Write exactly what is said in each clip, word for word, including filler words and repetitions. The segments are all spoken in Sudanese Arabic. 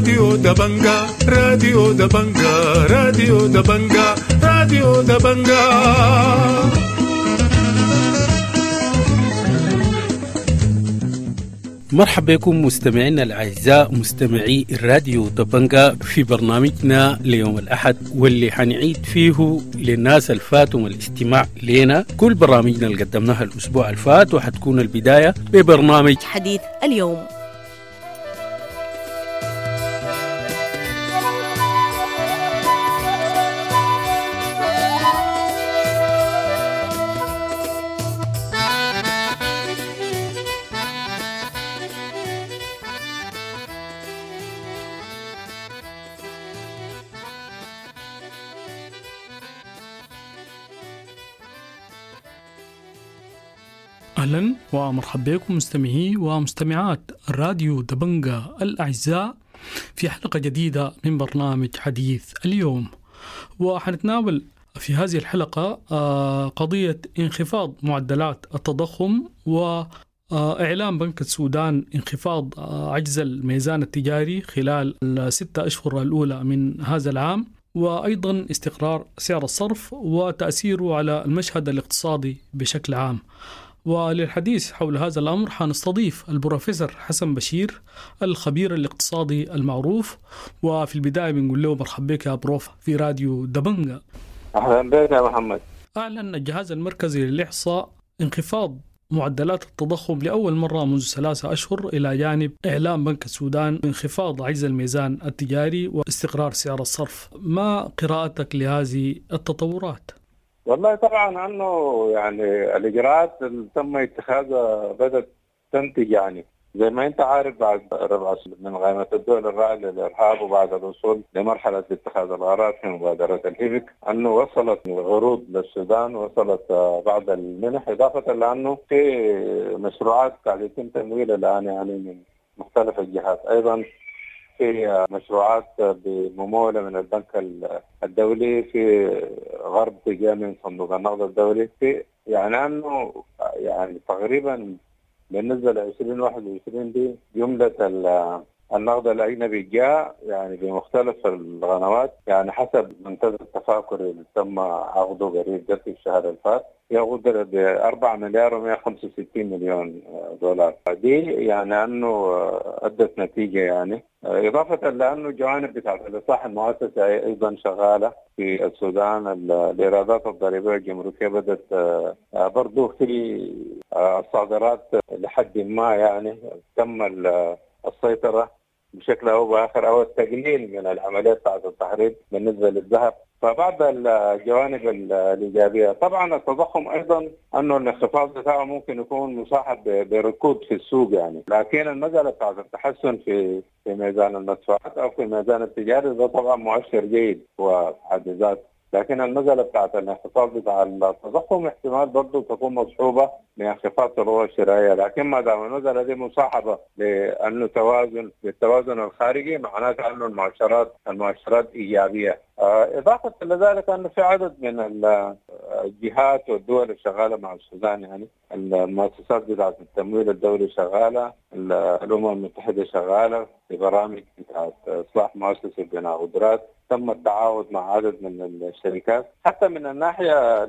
راديو دبنجا راديو دبنجا راديو دبنجا راديو دبنجا. مرحبا بكم مستمعينا الأعزاء مستمعي الراديو دبنجا في برنامجنا ليوم الأحد، واللي حنعيد فيه للناس الفاتهم الاستماع لنا كل برامجنا اللي قدمناها الأسبوع الفات، وحتكون البداية ببرنامج حديث اليوم. أهلا ومرحبا بكم مستمعي ومستمعات الراديو دبنجا الأعزاء في حلقة جديدة من برنامج حديث اليوم. وحنتناول في هذه الحلقة قضية انخفاض معدلات التضخم وإعلان بنك السودان انخفاض عجز الميزان التجاري خلال الستة أشهر الأولى من هذا العام، وأيضا استقرار سعر الصرف وتأثيره على المشهد الاقتصادي بشكل عام. وللحديث حول هذا الأمر حنستضيف البروفيسور حسن بشير الخبير الاقتصادي المعروف، وفي البداية بنقول له مرحبا بك يا بروف في راديو دبنجا. أهلا بك يا محمد. أعلن الجهاز المركزي للإحصاء انخفاض معدلات التضخم لأول مرة منذ ثلاثة أشهر، إلى جانب إعلان بنك السودان انخفاض عجز الميزان التجاري واستقرار سعر الصرف. ما قراءتك لهذه التطورات؟ والله طبعا انه يعني الاجراءات اللي تم اتخاذها بدات تنتج، يعني زي ما انت عارف بعد ربع من قائمة الدول الراعيه للارهاب وبعد الوصول لمرحلة اتخاذ القرارات في مبادرة الهيفك، انه وصلت عروض للسودان، وصلت بعض المنح، اضافه لانه في مشروعات قاعد يتم تمويلها الان يعني من مختلف الجهات، ايضا في مشروعات بممولة من البنك الدولي، في غرب جاء من صندوق النقد الدولي، في يعني أنه يعني تقريبا بالنسبة ل عشرين واحد وعشرين دي جملة النقد الأجنبي جاء يعني بمختلف القنوات، يعني حسب منتدى التفاكر اللي تم عقده قريب ده في الشهر الفات يقدر ب أربعة مليار ومئة وخمسة وستين مليون دولار. دي يعني أنه أدت نتيجة، يعني إضافة لأنه الجوانب بتاعت الإصلاح المؤسسي أيضا شغالة في السودان، الإيرادات الضريبية الجمركية بدأت برضو في الصادرات لحد ما يعني تم السيطرة بشكل أو بآخر أو التقليل من العملية بتاعت التهريب بالنسبة للذهب. فبعض الجوانب الإيجابية طبعا التضخم أيضا أنه الانخفاض بتاعه ممكن يكون مصاحب بركود في السوق يعني، لكن المسألة بتاعت التحسن في في ميزان المدفوعات أو في الميزان التجاري ده طبعا مؤشر جيد وحد ذاته، لكن المسألة بتاعت الانخفاض بتاع التضخم احتمال برضه تكون مصحوبة بانخفاض القوى الشرائية، لكن ما دام المسألة دي مصاحبة لأنه توازن بالتوازن الخارجي معناته أنه المؤشرات المؤشرات إيجابية. إضافة لذلك أنه في عدد من الجهات والدول الشغالة مع السودان، يعني المؤسسات بتاعت التمويل الدولي شغالة، الأمم المتحدة شغالة في برامج بتاعت إصلاح مؤسسة بناء قدرات، تم التعاون مع عدد من الشركات. حتى من الناحية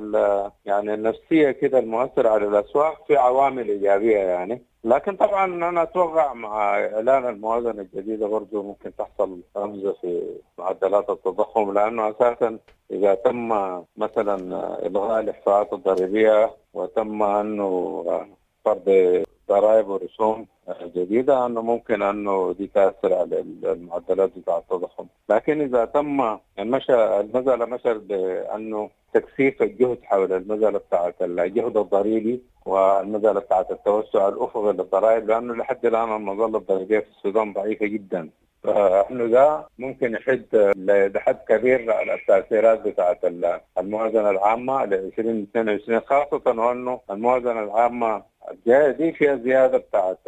يعني النفسية كده المؤثرة على الأسواق في عوامل إيجابية يعني، لكن طبعا أنا أتوقع مع إعلان الموازنة الجديدة برضو ممكن تحصل رمزة في معدلات التضخم، لأنه أساسا إذا تم مثلا إلغاء الإحصاءات الضريبية وتم أنه فرض ضرائب ورسوم جديدة أنه ممكن أنه دي تأثر على المعدلات بتاع التضخم، لكن إذا تم المشى المسألة مشت بأنه تكثيف الجهد حول المسألة بتاعت الجهد الضريبي والمسألة بتاعت التوسع الأفقي للضرائب، لأنه لحد الآن المظلة الضريبية في السودان ضعيفة جدا، فإنه ده ممكن يحد لحد كبير على التأثيرات بتاعت الموازنة العامة ل ألفين واثنين وعشرين، خاصة وأنه الموازنة العامة الجاية دي فيها زيادة بتاعت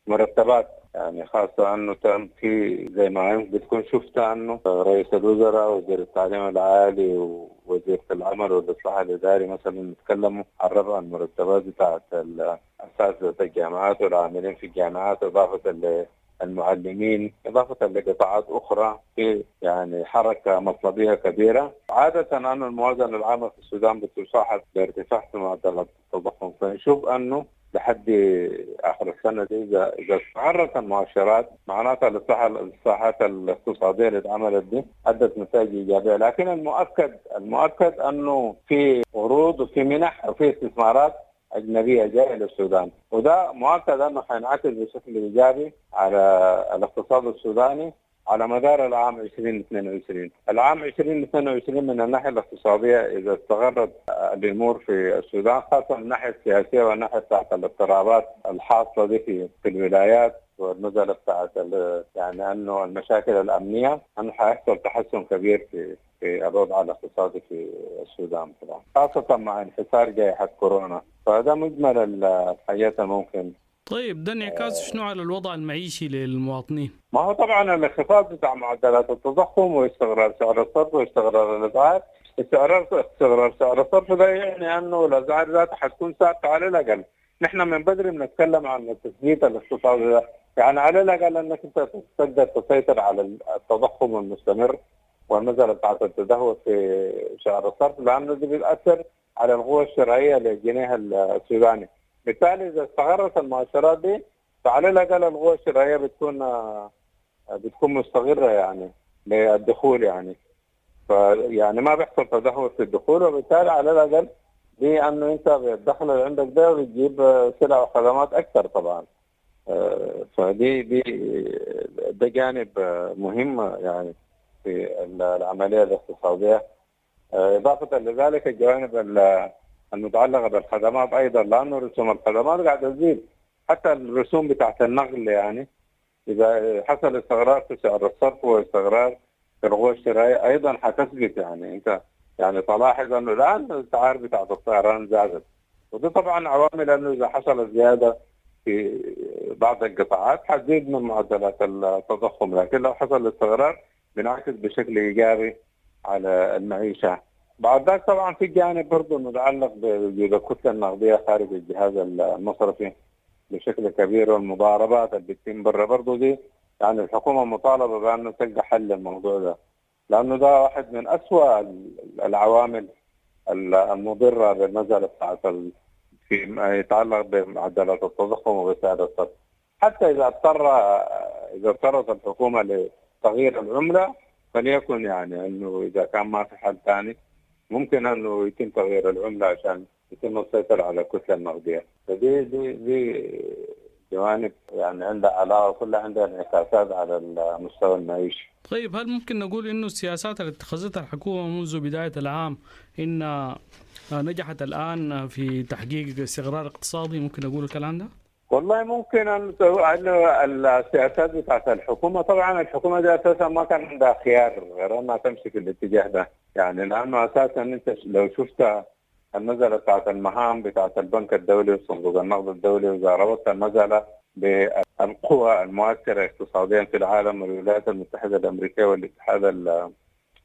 مرتبات، يعني خاصة أنه تم في زي ما بتكون شفت أنه رئيس الوزراء وزير التعليم العالي ووزيرة العمل والإصلاح الإداري مثلا يتكلموا عن رفع المرتبات بتاعت أساتذة الجامعات والعاملين في الجامعات، إضافة المعلمين، إضافة لقطاعات أخرى في يعني حركة مطلبية كبيرة. عادة أن الموازنة العامة في السودان بتصاحب بارتفاع في معدلات التضخم، فنشوف أنه لحد آخر السنة دي إذا إذا استقرت المؤشرات معناتها الإصلاحات الاقتصادية اللي اتعملت دي أدت نتائج إيجابية. لكن المؤكد المؤكد أنه في عروض وفي منح وفي استثمارات أجنبية جاية للسودان، وده مؤكد أنه حينعكس بشكل إيجابي على الاقتصاد السوداني على مدار العام ألفين واثنين وعشرين. العام ألفين واثنين وعشرين من الناحية الاقتصادية إذا استقرت الأمور في السودان، خاصة من الناحية السياسية والناحية بتاعت الاضطرابات الحاصلة دي في, في الولايات والنزلة بتاعت يعني أنه المشاكل الأمنية، أنه حيحصل تحسن كبير في في الوضع الاقتصادي في السودان طبعا، خاصة مع انحسار جائحة كورونا. فهذا مجمل الحاجات الممكن. طيب ده انعكاس شنو على الوضع المعيشي للمواطنين؟ ما هو طبعا الانخفاض بتاع معدلات التضخم واستقرار سعر الصرف واستقرار الاسعار، استقرار استقرار سعر الصرف ده يعني انه الاسعار ذاتها حتكون ثابته على الاقل. نحن من بدري بنتكلم عن التثبيت الاقتصادي ده، يعني على الاقل انك انت تقدر تسيطر على التضخم المستمر والمسألة بتاعت التدهور في سعر الصرف، لأنه دي بتأثر على القوة الشرائية للجنيه السوداني. بالتالي إذا استقرت المؤشرات دي فعلى الأقل القوة الشرائية بتكون بتكون مستقرة يعني للدخول، يعني فيعني ما بيحصل تدهور في الدخول، وبالتالي على الأقل دي أنه أنت بالدخل اللي عندك ده بتجيب سلع وخدمات أكثر طبعا. فدي دي ده جانب مهم يعني في العملية الاقتصادية. إضافة لذلك الجوانب المتعلقة بالخدمات أيضا، لأنه رسوم الخدمات قاعدة تزيد، حتى الرسوم بتاعت النقل يعني إذا حصل استقرار في سعر الصرف واستقرار في القوة الشرائية أيضا حتثبت. يعني أنت يعني تلاحظ أنه الآن الأسعار بتاعت الطيران زادت، وده طبعا عوامل أنه إذا حصل زيادة في بعض القطاعات حتزيد من معدلات التضخم، لكن لو حصل استقرار بنعكس بشكل إيجابي على المعيشة. بعد ذلك طبعا في جانب برضه متعلق بوجود الكتلة النقدية خارج الجهاز المصرفي بشكل كبير، والمضاربات اللي بتتم برا برضه دي يعني الحكومة مطالبة بأنه تلقى حل للموضوع ده، لأنه ده واحد من أسوأ العوامل المضرة بالمسألة بتاعت فيما يتعلق بمعدلات التضخم وبسعر الصرف. حتى إذا اضطر إذا اضطرت الحكومة لتغيير العملة فليكن يعني أنه إذا كان ما في حل ثاني ممكن أنه يتم تغيير العملة عشان يتم السيطرة على الكتلة النقدية. فدي دي دي جوانب يعني عندها علاقة كلها عندها انعكاسات على المستوى المعيشي. طيب هل ممكن نقول إنه السياسات اللي اتخذتها الحكومة منذ بداية العام إن نجحت الآن في تحقيق استقرار اقتصادي؟ ممكن نقول الكلام ده؟ والله ممكن أن السياسات بتاعت الحكومة، طبعا الحكومة دي أساسا ما كان عندها خيار غير أنها تمشي في الاتجاه ده، يعني لأنه أساسا أنت لو شفت المسألة بتاعت المهام بتاعت البنك الدولي وصندوق النقد الدولي، وإذا ربطت المسألة بالقوى المؤثرة اقتصاديا في العالم والولايات المتحدة الأمريكية والاتحاد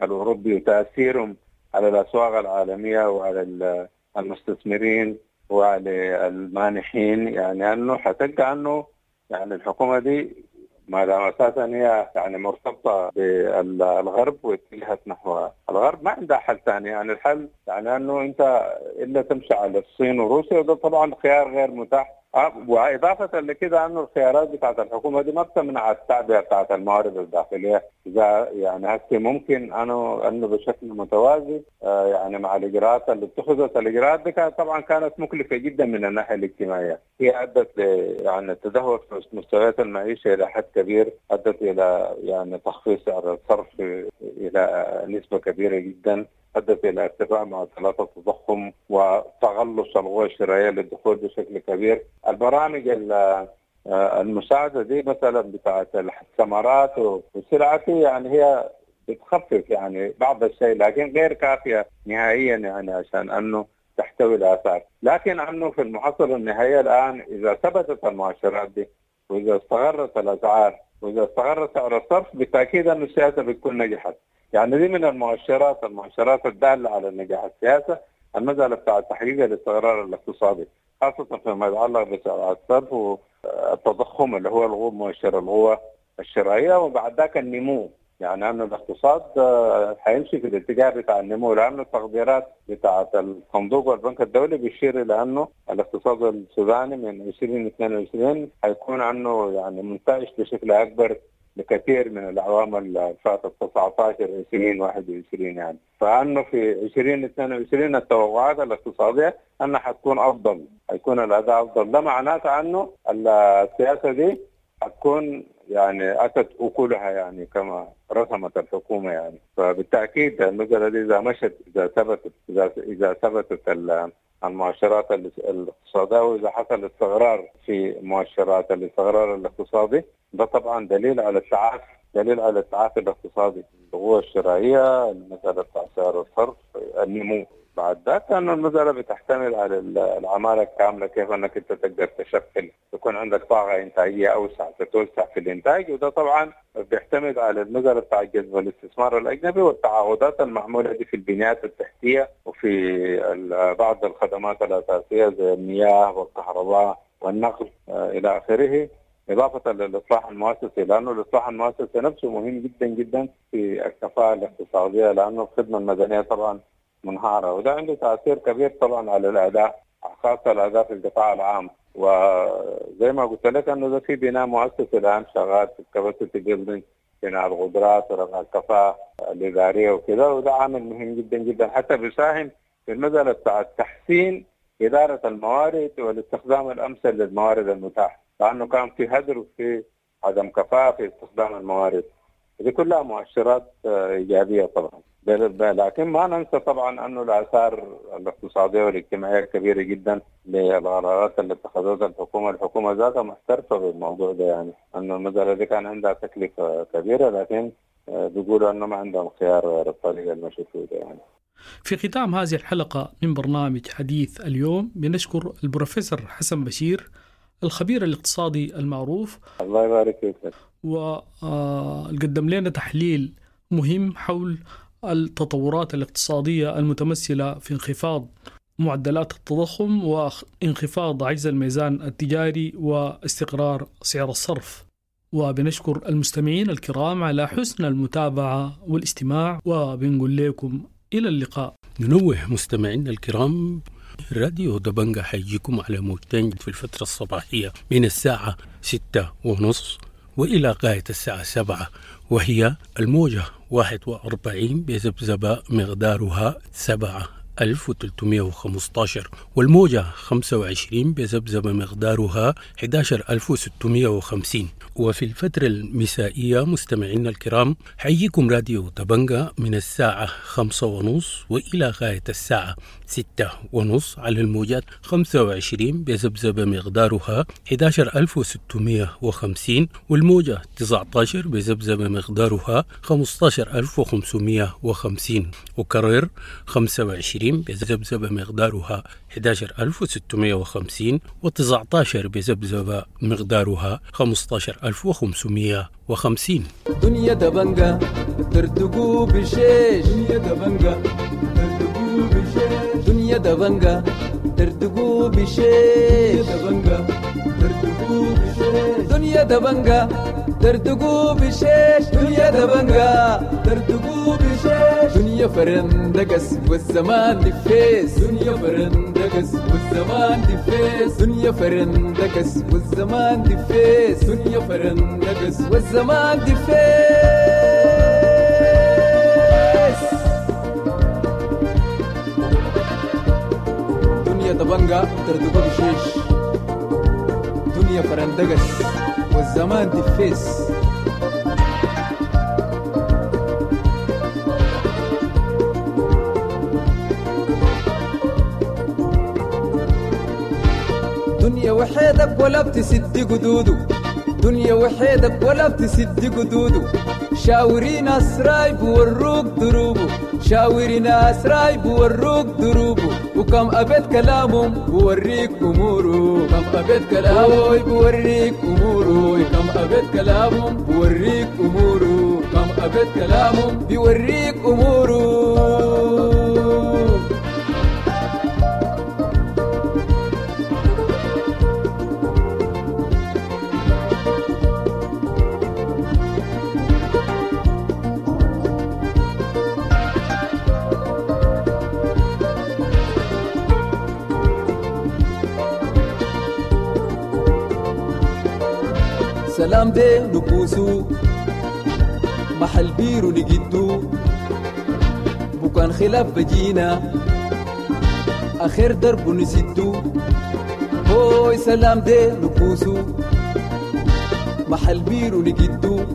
الأوروبي وتأثيرهم على الأسواق العالمية وعلى المستثمرين وعلى المانحين، يعني أنه حتلقى أنه يعني الحكومة دي ما دام أساسا هي يعني مرتبطة بالغرب واتجهت نحو الغرب ما عندها حل ثاني. يعني الحل يعني أنه أنت إلا تمشي على الصين وروسيا، وده طبعا خيار غير متاح. وإضافة لكده أنه الخيارات بتاعت الحكومة دي ما بتمنع التعبئة بتاعت الموارد الداخلية. إذا يعني هسه ممكن أنه أنه بشكل متوازي يعني مع الإجراءات اللي اتخذت، الإجراءات دي كانت طبعا كانت مكلفة جدا من الناحية الاجتماعية، هي أدت يعني التدهور في مستويات المعيشة إلى حد كبير، أدت إلى يعني تخفيض سعر الصرف إلى نسبة كبيرة جدا، أدت إلى ارتفاع معدلات التضخم وتغلص القوى الشرائية للدخول بشكل كبير. البرامج المساعدة دي مثلا بتاعت الثمرات والسلعة يعني هي بتخفف يعني بعض الشيء، لكن غير كافية نهائيا يعني عشان أنه تحتوي الآثار. لكن أنه في المحصلة النهائية الآن إذا ثبتت المؤشرات دي وإذا استقرت الأسعار وإذا استقر سعر الصرف بالتأكيد أن السياسة بتكون نجحت. يعني دي من المؤشرات المؤشرات الدالة على نجاح السياسة، المسألة بتاع تحقيق الاستقرار الاقتصادي. خاصة فيما يتعلق بسعر الصرف والتضخم اللي هو الغو مؤشر القوة الشرائية، وبعد ذاك النمو. يعني أن الاقتصاد حيمشي في الاتجاه بتاع النمو، لأنه التقديرات بتاعة الصندوق والبنك الدولي بيشير إلى أنه الاقتصاد السوداني من عشرين اثنين وعشرين حيكون عنه يعني منتعش بشكل أكبر لكثير من الأعوام اللي فاتت تسعة عشر عشرين واحد وعشرين يعني. فأنه في عشرين اثنين وعشرين التوقعات الاقتصادية أنها حتكون أفضل، حيكون الأداء أفضل. ده معناته أنه السياسة دي حتكون يعني أتت أكلها يعني كما رسمت الحكومة يعني. فبالتأكيد المسألة دي إذا مشت، إذا ثبتت، إذا إذا ثبتت المؤشرات الاقتصادية وإذا حصل استقرار في مؤشرات الاستقرار الاقتصادي، ده طبعا دليل على التعافي، دليل على التعافي الاقتصادي، القوة الشرائية، المسألة بتاع سعر الصرف، النمو. بعد ذاك أن المسألة بتحتمل على العمالة الكاملة، كيف أنك أنت تقدر تشكل يكون عندك طاقة إنتاجية أوسع، تتوسع في الإنتاج. وده طبعا بيعتمد على المسألة بتاع جذب الاستثمار الأجنبي والتعاقدات المعمولة دي في البنيات التحتية وفي بعض الخدمات الأساسية زي المياه والكهرباء والنقل إلى آخره، إضافة للإصلاح المؤسسي، لأنه الإصلاح المؤسسي نفسه مهم جدا جدا في الكفاءة الاقتصادية، لأنه الخدمة المدنية طبعا منهارة، وده عنده تأثير كبير طبعا على الأداء، خاصة الأداء في القطاع العام. وزي ما قلت لك أنه ده في بناء مؤسسي الآن شغال في ال capacity building، بناء القدرات ورفع الكفاءة الإدارية وكذا، وده عامل مهم جدا جدا حتى بيساهم في المسألة بتاع تحسين إدارة الموارد والاستخدام الأمثل للموارد المتاحة، لأنه كان في هدر وفي عدم كفاءة في استخدام الموارد. دي كلها مؤشرات إيجابية طبعا، لكن ما ننسى طبعا أنه الآثار الاقتصادية والاجتماعية كبيرة جدا للقرارات اللي اتخذتها الحكومة. الحكومة ذاتها محترفة بالموضوع ده، يعني أنه المسألة دي كان عندها تكلفة كبيرة، لكن بيقولوا أنه ما عندهم خيار غير الطريقة المشي فيه يعني. في ختام هذه الحلقة من برنامج حديث اليوم بنشكر البروفيسور حسن بشير الخبير الاقتصادي المعروف، الله يبارك فيك، وقدم لنا تحليل مهم حول التطورات الاقتصادية المتمثلة في انخفاض معدلات التضخم وانخفاض عجز الميزان التجاري واستقرار سعر الصرف. وبنشكر المستمعين الكرام على حسن المتابعة والاستماع، وبنقول لكم إلى اللقاء. ننوه مستمعينا الكرام، راديو دبنجة حيجيكم على موجتين في الفترة الصباحية من الساعة ستة ونص وإلى غاية الساعة سبعة، وهي الموجة واحد وأربعين بذبذبة مقدارها سبعة ألف وثلاثمائة وخمسة عشر، والموجة خمسة وعشرين بذبذبة مقدارها أحد عشر ألف وستمائة وخمسين. وفي الفترة المسائية مستمعينا الكرام حييكم راديو دبنجة من الساعة خمسة ونص وإلى غاية الساعة ستة ونص على الموجات خمسة وعشرين بذبذبة مقدارها أحد عشر ألف وستمائة وخمسين، والموجة تسعة عشر بذبذبة مقدارها خمسة عشر ألف وخمسمائة وخمسين، وكرر خمسة وعشرين بذبذبة مقدارها أحد عشر ألف وستمائة وخمسين، وتسعة عشر بذبذبة مقدارها خمسة عشر ألف وخمسمائة وخمسين. دنيا دبنجة ترتقو بشيش، دنيا دبنجة ترتقو بشيش، دنيا دبنجة ترتقو بشيش، دبنجة ترتقو بشيش، دنيا دبنجة ترتقو بشيش، دنيا دبنجة ترتقو بشيش، دنيا فرندقس والزمان دفيس، دنيا فرندقس والزمان دفيس، دنيا فرندقس والزمان دفيس، دنيا فرندقس والزمان دفيس. دنيا دبنجة ترتقو بشيش، دنيا فرندقس والزمان دفيس. دنيا وحيدك ولا بتسد قدوده، دنيا وحيدك ولا بتسد قدوده، شاوري ناس رايب وروك دروبه، شاوري ناس رايب وروك دروبه، وكم أبيت كلامهم بوريك أموره، كم أبيت كلامهم بوريك أموره، كم أبيت كلامهم بوريك أموره، كم أبيت كلامهم بيوريك أموره. سلام دي نكوسو محل بيرو نجدو بكان خلاف بجينا آخر درب نسدو. هوي سلام دي نكوسو محل بيرو نجدو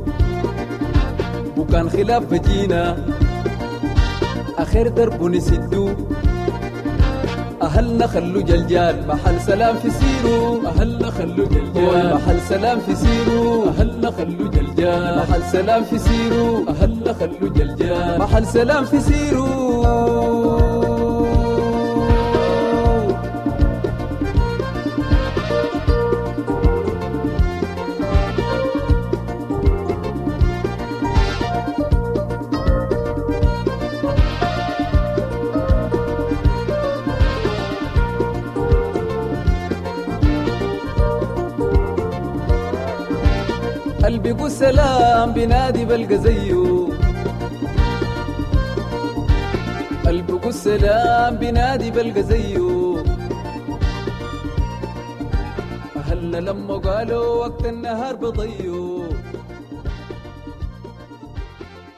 بكان خلاف بجينا آخر درب نسدو. أهلنا خلو جلجال محل سلام في سيرو، أهلنا خلو جلجال محل سلام في سيرو، أهلنا خلو جلجال محل سلام في سيرو، أهلنا خلو جلجال محل سلام في سيرو. قلبي سلام بنادي بلقى زيه، قلبي السلام بنادي بلقى زيه. أهلنا لما قالوا وقت النهار بضيو،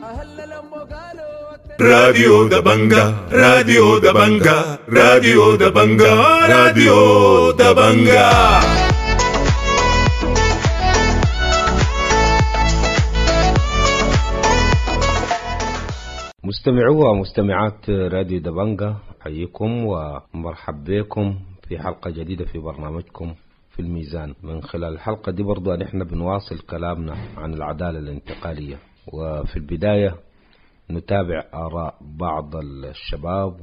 أهلنا لما قالوا وقت. راديو دبنجا، راديو دبنجا، راديو دبنجا، راديو دبنجا. مستمعو ومستمعات راديو دبنجا، حييكم ومرحب بكم في حلقة جديدة في برنامجكم في الميزان. من خلال الحلقة دي برضو نحن بنواصل كلامنا عن العدالة الانتقالية، وفي البداية نتابع آراء بعض الشباب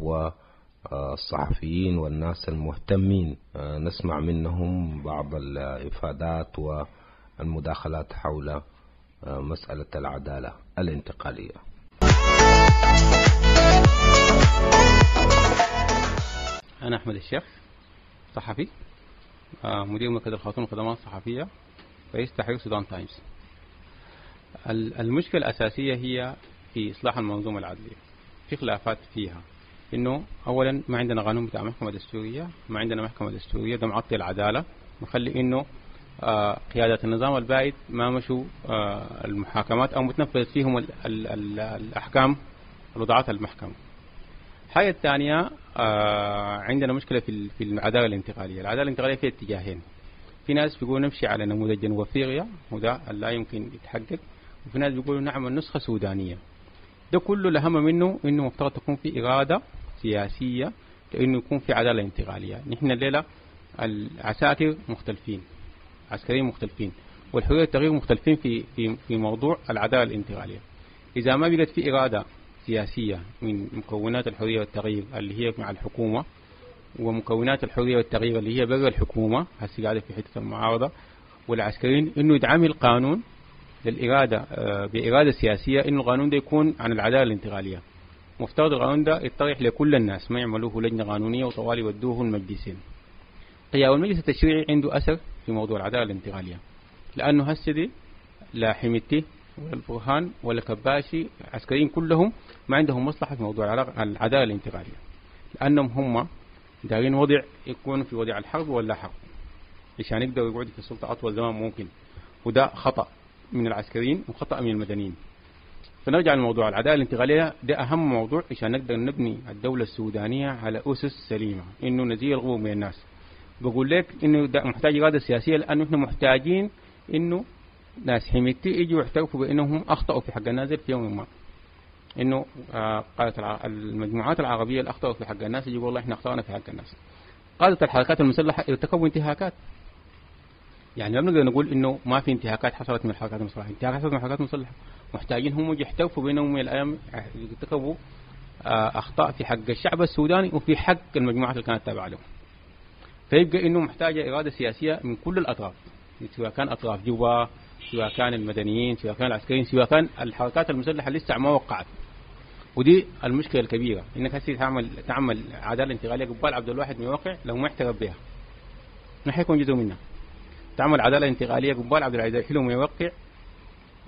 والصحفيين والناس المهتمين، نسمع منهم بعض الإفادات والمداخلات حول مسألة العدالة الانتقالية. أنا أحمد الشيخ، صحفي، مدير مركز الخرطوم للخدمات الصحفية، رئيس تحرير سودان تايمز. المشكلة الأساسية هي في إصلاح المنظومة العدلية. في خلافات فيها، إنه أولا ما عندنا قانون بتاع محكمة دستورية، ما عندنا محكمة دستورية، ده معطي العدالة، مخلي إنه قيادات النظام البائد ما مشوا المحاكمات أو متنفذ فيهم ال ال ال الأحكام اللي وضعتها المحكمة. الحاجة الثانية آه عندنا مشكلة في في العدالة الانتقالية. العدالة الانتقالية فيها اتجاهين، في ناس بيقولوا نمشي على نموذج جنوب افريقيا وده لا يمكن يتحقق، وفي ناس بيقولوا نعمل نسخة سودانية. ده كله الأهم منه إنه مفترض تكون في إرادة سياسية لإنه يكون في عدالة انتقالية. نحن الليلة العساكر مختلفين، عسكريين مختلفين، والحرية والتغيير مختلفين في في في موضوع العدالة الانتقالية. إذا ما بقت في إرادة سياسية من مكونات الحرية والتغيير اللي هي مع الحكومة، ومكونات الحرية والتغيير اللي هي برا الحكومة هسه قاعدة في حتة المعارضة، والعسكريين، إنه يدعم القانون للإرادة بإرادة سياسية، إنه القانون ده يكون عن العدالة الانتقالية. مفترض القانون ده يطرح لكل الناس، ما يعملوه لجنة قانونية وطوالي يودوه المجلسين. قيام المجلس التشريعي عنده أثر في موضوع العدالة الانتقالية، لأنه هسه دي لا حميدتي ولا البرهان ولا كباشي عسكريين كلهم ما عندهم مصلحة في موضوع العدالة الانتقالية، لأنهم هم دارين وضع يكون في وضع الحرب ولا حرب عشان يقدروا يقعدوا في السلطة أطول زمان ممكن، وده خطأ من العسكريين وخطأ من المدنيين. فنرجع لموضوع العدالة الانتقالية، ده أهم موضوع عشان نقدر نبني الدولة السودانية على أسس سليمة، إنه نزيل الغموض من الناس. بقول لك إنه ده محتاج إرادة سياسية، لأنه إحنا محتاجين إنه ناس حميدتي يجوا يعترفوا بأنهم أخطأوا في حق الناس في يوم ما، إنه قادة المجموعات العربية اللي أخطأوا في حق الناس يجوا والله إحنا أخطأنا في حق الناس. قادة الحركات المسلحة ارتكبوا انتهاكات، يعني ما بنقدر نقول إنه ما في انتهاكات حصلت من الحركات المسلحة، انتهاكات حصلت من الحركات المسلحة، محتاجين هم يعترفوا بأنهم من الأيام ارتكبوا أخطاء في حق الشعب السوداني وفي حق المجموعات اللي كانت تابعة لهم. فيبقى إنه محتاجة إرادة سياسية من كل الأطراف، سواء كان أطراف جوبا، سواء كان المدنيين، سواء كان العسكريين، سواء كان الحركات المسلحة اللي لسه ما وقعت. ودي المشكلة الكبيرة، إنك هسه تعمل تعمل عدالة انتقالية قبال عبد الواحد ما يوقع، لو ما اعترف بها ما حيكون جزء منها. تعمل عدالة انتقالية قبال عبد العزيز حلو ما يوقع،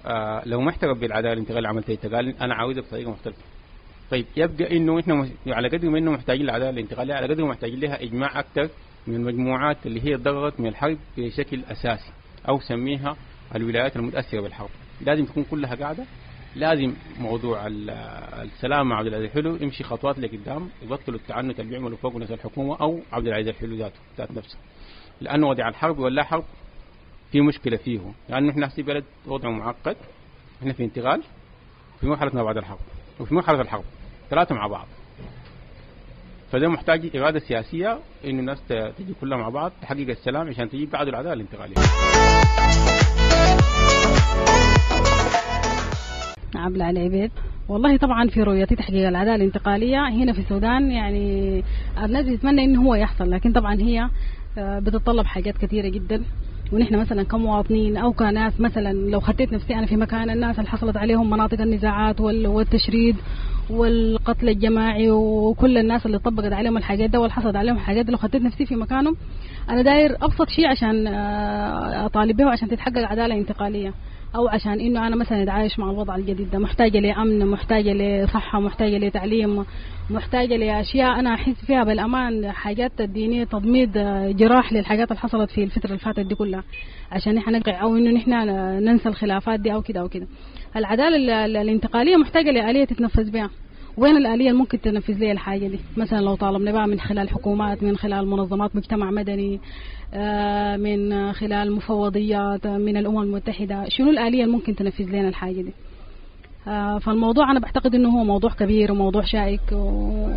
آه لو ما اعترف بالعدالة الانتقالية عملتها قال أنا عاوزها بطريقة مختلفة. طيب يبقى إنه إحنا على قدر ما إنه محتاجين للعدالة الانتقالية، على قدر ما محتاجين لها إجماع أكثر من المجموعات اللي هي ضررت من الحرب بشكل أساسي، أو سميها الولايات المتاثرة بالحرب، لازم تكون كلها قاعدة. لازم موضوع السلام مع عبد العزيز الحلو يمشي خطوات لقدام، يبطلوا التعنت اللي بيعملوا فوق ناس الحكومة او عبد العزيز الحلو ذاته ذات نفسه، لانه وضع الحرب ولا حرب في مشكلة فيه، لانه احنا في بلد وضعه معقد، احنا في انتقال، في مرحلة ما بعد الحرب وفي مرحلة الحرب، ثلاثة مع بعض. فده محتاج اراده سياسية انه الناس تجي كلها مع بعض تحقق السلام عشان تجيب بعد العدالة الانتقالية. عبلة علي عبيد. والله طبعا في رؤيتي تحقيق العدالة الانتقالية هنا في السودان يعني الناس بتتمنى انه هو يحصل، لكن طبعا هي بتتطلب حاجات كثيرة جدا، ونحن مثلا كمواطنين او كناس مثلا لو خطيت نفسي انا في مكان الناس اللي حصلت عليهم مناطق النزاعات والتشريد والقتل الجماعي وكل الناس اللي طبقت عليهم الحاجات ده واللي حصلت عليهم الحاجات دي، لو خطيت نفسي في مكانهم انا داير ابسط شيء عشان اطالب به عشان تتحقق عدالة انتقالية، او عشان انه انا مثلا اتعايش مع الوضع الجديد ده. محتاجه لامن، محتاجه لصحة، محتاجه لتعليم، محتاجه لاشياء انا احس فيها بالامان، حاجات تديني تضميد جراح للحاجات اللي حصلت في الفترة اللي فاتت دي كلها، عشان نحن نقع او انه نحن ننسى الخلافات دي او كده او كده. العدالة الانتقالية محتاجه لآلية تتنفذ بها. وين الآلية اللي ممكن تنفذ لي الحاجة دي؟ مثلا لو طالبنا بقى من خلال حكومات، من خلال منظمات مجتمع مدني، من خلال مفوضيات من الأمم المتحدة، شنو الآلية اللي ممكن تنفذ لنا الحاجة دي؟ فالموضوع أنا بعتقد إنه هو موضوع كبير وموضوع شائك، و...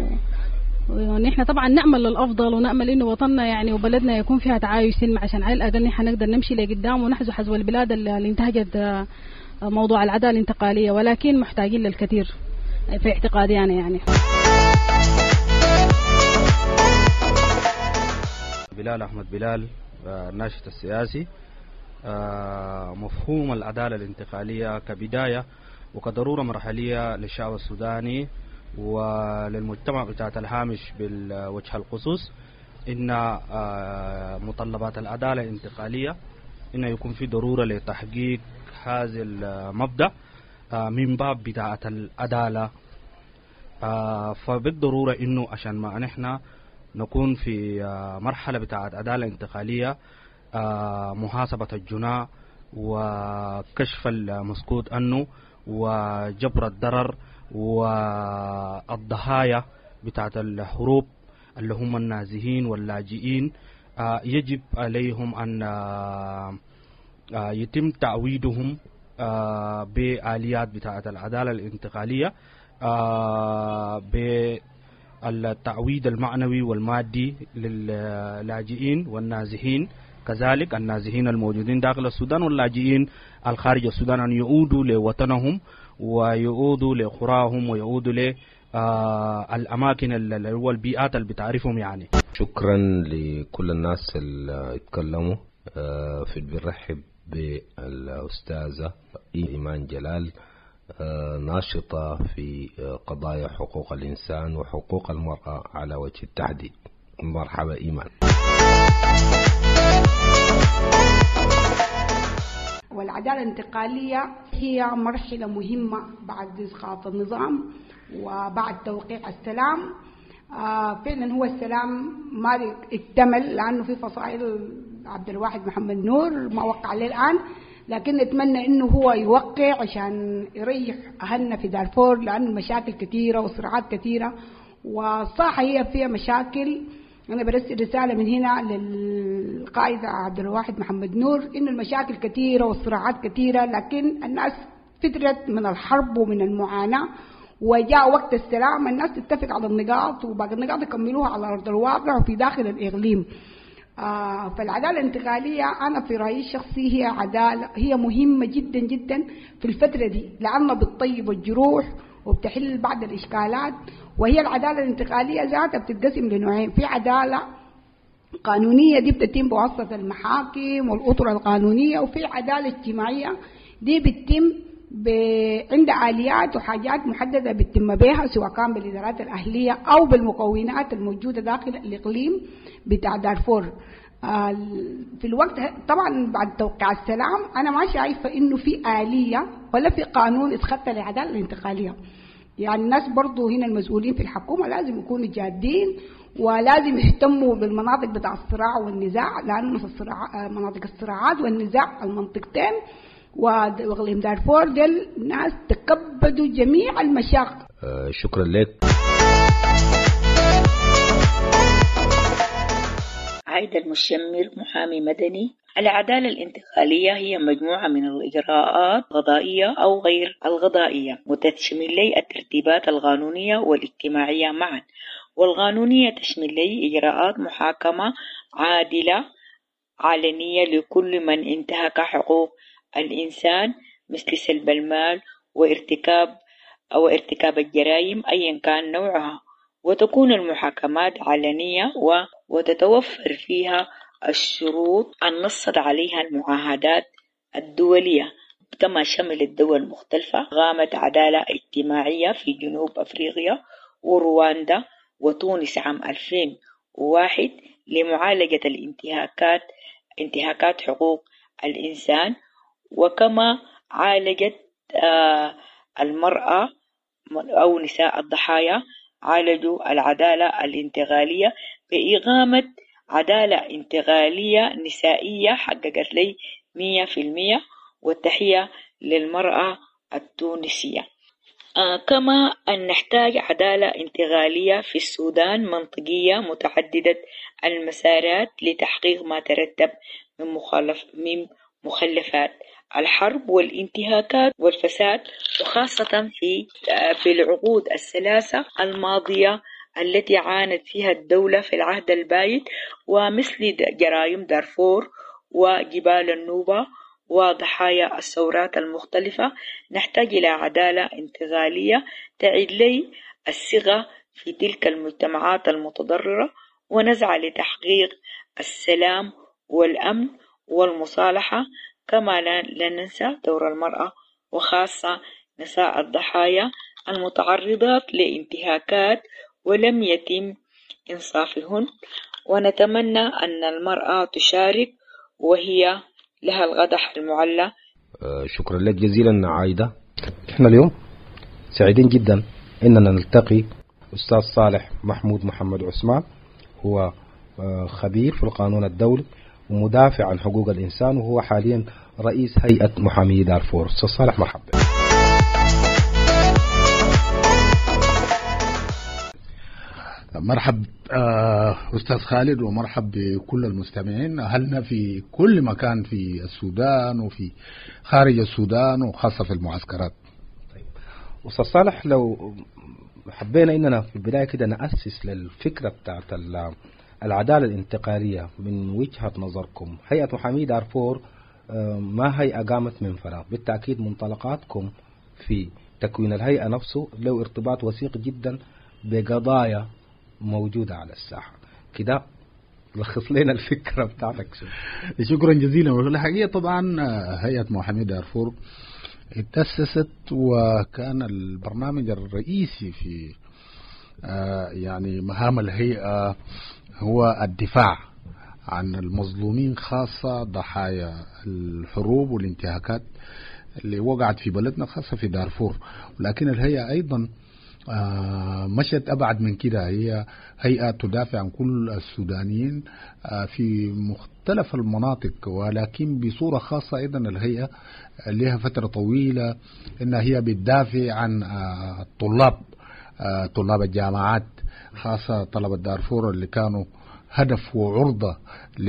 ونحن طبعا نأمل للأفضل ونأمل إنه وطننا يعني وبلدنا يكون فيها تعايش سلمي، عشان على الأقل نحن نقدر نمشي لقدام ونحذو حذو البلاد اللي انتهجت موضوع العدالة الانتقالية، ولكن محتاجين للكثير في اعتقادي أنا يعني. بلال أحمد بلال، الناشط السياسي. مفهوم العدالة الانتقالية كبداية وكضرورة مرحلية للشعب السوداني وللمجتمع بتاعت الهامش بالوجه الخصوص، إن متطلبات العدالة الانتقالية إن يكون في ضرورة لتحقيق هذا المبدأ من باب بتاعة العدالة. فبالضرورة إنه عشان ما نحن نكون في مرحلة بتاعة عدالة انتقالية، محاسبة الجناة وكشف المسكوت عنه وجبر الضرر والضحايا بتاعة الحروب اللي هم النازحين واللاجئين، يجب عليهم أن يتم تعويضهم بآليات بتاعة العدالة الانتقالية، بالتعويض المعنوي والمادي للاجئين والنازحين، كذلك النازحين الموجودين داخل السودان واللاجئين الخارج السودان، أن يعودوا لوطنهم ويعودوا لقراهم ويعودوا للأماكن اللي هو البيئات اللي بتعرفهم يعني. شكرا لكل الناس اللي اتكلموا. في بنرحب بالأستاذة إيمان جلال، ناشطة في قضايا حقوق الإنسان وحقوق المرأة على وجه التحديد. مرحبا إيمان. والعدالة الانتقالية هي مرحلة مهمة بعد إسقاط النظام وبعد توقيع السلام. آه فعلا هو السلام ما اكتمل لأنه في فصائل عبد الواحد محمد نور ما وقع عليه الآن، لكن نتمنى إنه هو يوقع عشان يريح أهلنا في دارفور، لأنه المشاكل كثيرة وصراعات كثيرة والصاحة هي فيها مشاكل. أنا برسل رسالة من هنا للقائد عبد الواحد محمد نور إنه المشاكل كثيرة والصراعات كثيرة، لكن الناس فترت من الحرب ومن المعاناة، وجاء وقت السلام الناس تتفق على النقاط وباقي النقاط يكملوها على أرض الواقع وفي داخل الإقليم. آه فالعدالة الانتقالية أنا في رأيي الشخصي هي عدالة هي مهمة جدا جدا في الفترة دي، لأنها بتطيب الجروح وبتحل بعض الإشكالات. وهي العدالة الانتقالية ذاتها بتتقسم لنوعين، في عدالة قانونية دي بتتم بواسطة المحاكم والأطر القانونية، وفي عدالة اجتماعية دي بتتم ب... عند آليات وحاجات محددة بتتم بها، سواء كان بالإدارات الأهلية أو بالمكونات الموجودة داخل الإقليم بتاع دارفور. في الوقت طبعا بعد توقيع السلام أنا ما شايفة إنه في آلية ولا في قانون اتخطى للعدالة الانتقالية. يعني الناس برضو هنا المسؤولين في الحكومة لازم يكونوا جادين ولازم يهتموا بالمناطق بتاع الصراع والنزاع، لأنه الصراع مناطق الصراعات والنزاع المنطقتين وإقليم دارفور ديل ناس تكبدوا جميع المشاق. أه شكرا لك. عايدة المشمر، محامي مدني. العدالة الانتقالية هي مجموعة من الإجراءات القضائية أو غير القضائية وتشمل لي الترتيبات القانونية والاجتماعية معا، والقانونية تشمل لي إجراءات محاكمة عادلة علنية لكل من انتهك حقوق الإنسان مثل سلب المال وارتكاب أو ارتكاب الجرائم أيا كان نوعها، وتكون المحاكمات علنية وتتوفر فيها الشروط النصت عليها المعاهدات الدولية، كما شمل الدول المختلفة قامت عدالة اجتماعية في جنوب أفريقيا ورواندا وتونس عام ألفين وواحد لمعالجة الانتهاكات انتهاكات حقوق الإنسان، وكما عالجت المرأة أو نساء الضحايا عالجوا العدالة الانتقالية بإقامة عدالة انتقالية نسائية حققت لي مية في المية، والتحية للمرأة التونسية. آه كما أن نحتاج عدالة انتقالية في السودان منطقية متعددة المسارات لتحقيق ما ترتب من مخالف من مخلفات الحرب والانتهاكات والفساد، وخاصة في في العقود الثلاثة الماضية التي عانت فيها الدولة في العهد البايد، ومثل جرائم دارفور وجبال النوبة وضحايا الثورات المختلفة. نحتاج إلى عدالة انتقالية تعيد لي الثقة في تلك المجتمعات المتضررة، ونسعى لتحقيق السلام والأمن والمصالحة، كما لا ننسى دور المرأة وخاصة نساء الضحايا المتعرضات لانتهاكات ولم يتم إنصافهن، ونتمنى أن المرأة تشارك وهي لها القدح المعلى. شكرا لك جزيلا عايدة. احنا اليوم سعيدين جدا اننا نلتقي أستاذ صالح محمود محمد عثمان، هو خبير في القانون الدولي ومدافع عن حقوق الإنسان، وهو حاليا رئيس هيئة محامي دارفور. أستاذ صالح مرحبا. مرحب أستاذ خالد، ومرحب بكل المستمعين أهلنا في كل مكان في السودان وفي خارج السودان وخاصة في المعسكرات. طيب أستاذ صالح، لو حبينا إننا في البداية كده نأسس للفكرة بتاعت العدالة الانتقالية من وجهة نظركم، هيئة محامي دارفور ما هيئة قامت من فراغ، بالتأكيد منطلقاتكم في تكوين الهيئة نفسه له ارتباط وثيق جدا بقضايا موجودة على الساحة كده، لخص لنا الفكرة بتاعتك. شكرا جزيلا. والحقيقة طبعا هيئة محامي دارفور اتأسست، وكان البرنامج الرئيسي في يعني مهام الهيئة هو الدفاع عن المظلومين، خاصة ضحايا الحروب والانتهاكات اللي وقعت في بلدنا خاصة في دارفور. ولكن الهيئة أيضا مشت أبعد من كده، هي هيئة تدافع عن كل السودانيين في مختلف المناطق، ولكن بصورة خاصة أيضا الهيئة لها فترة طويلة إنها هي بتدافع عن الطلاب، طلاب الجامعات، خاصة طلبة دارفور اللي كانوا هدف وعرضة ل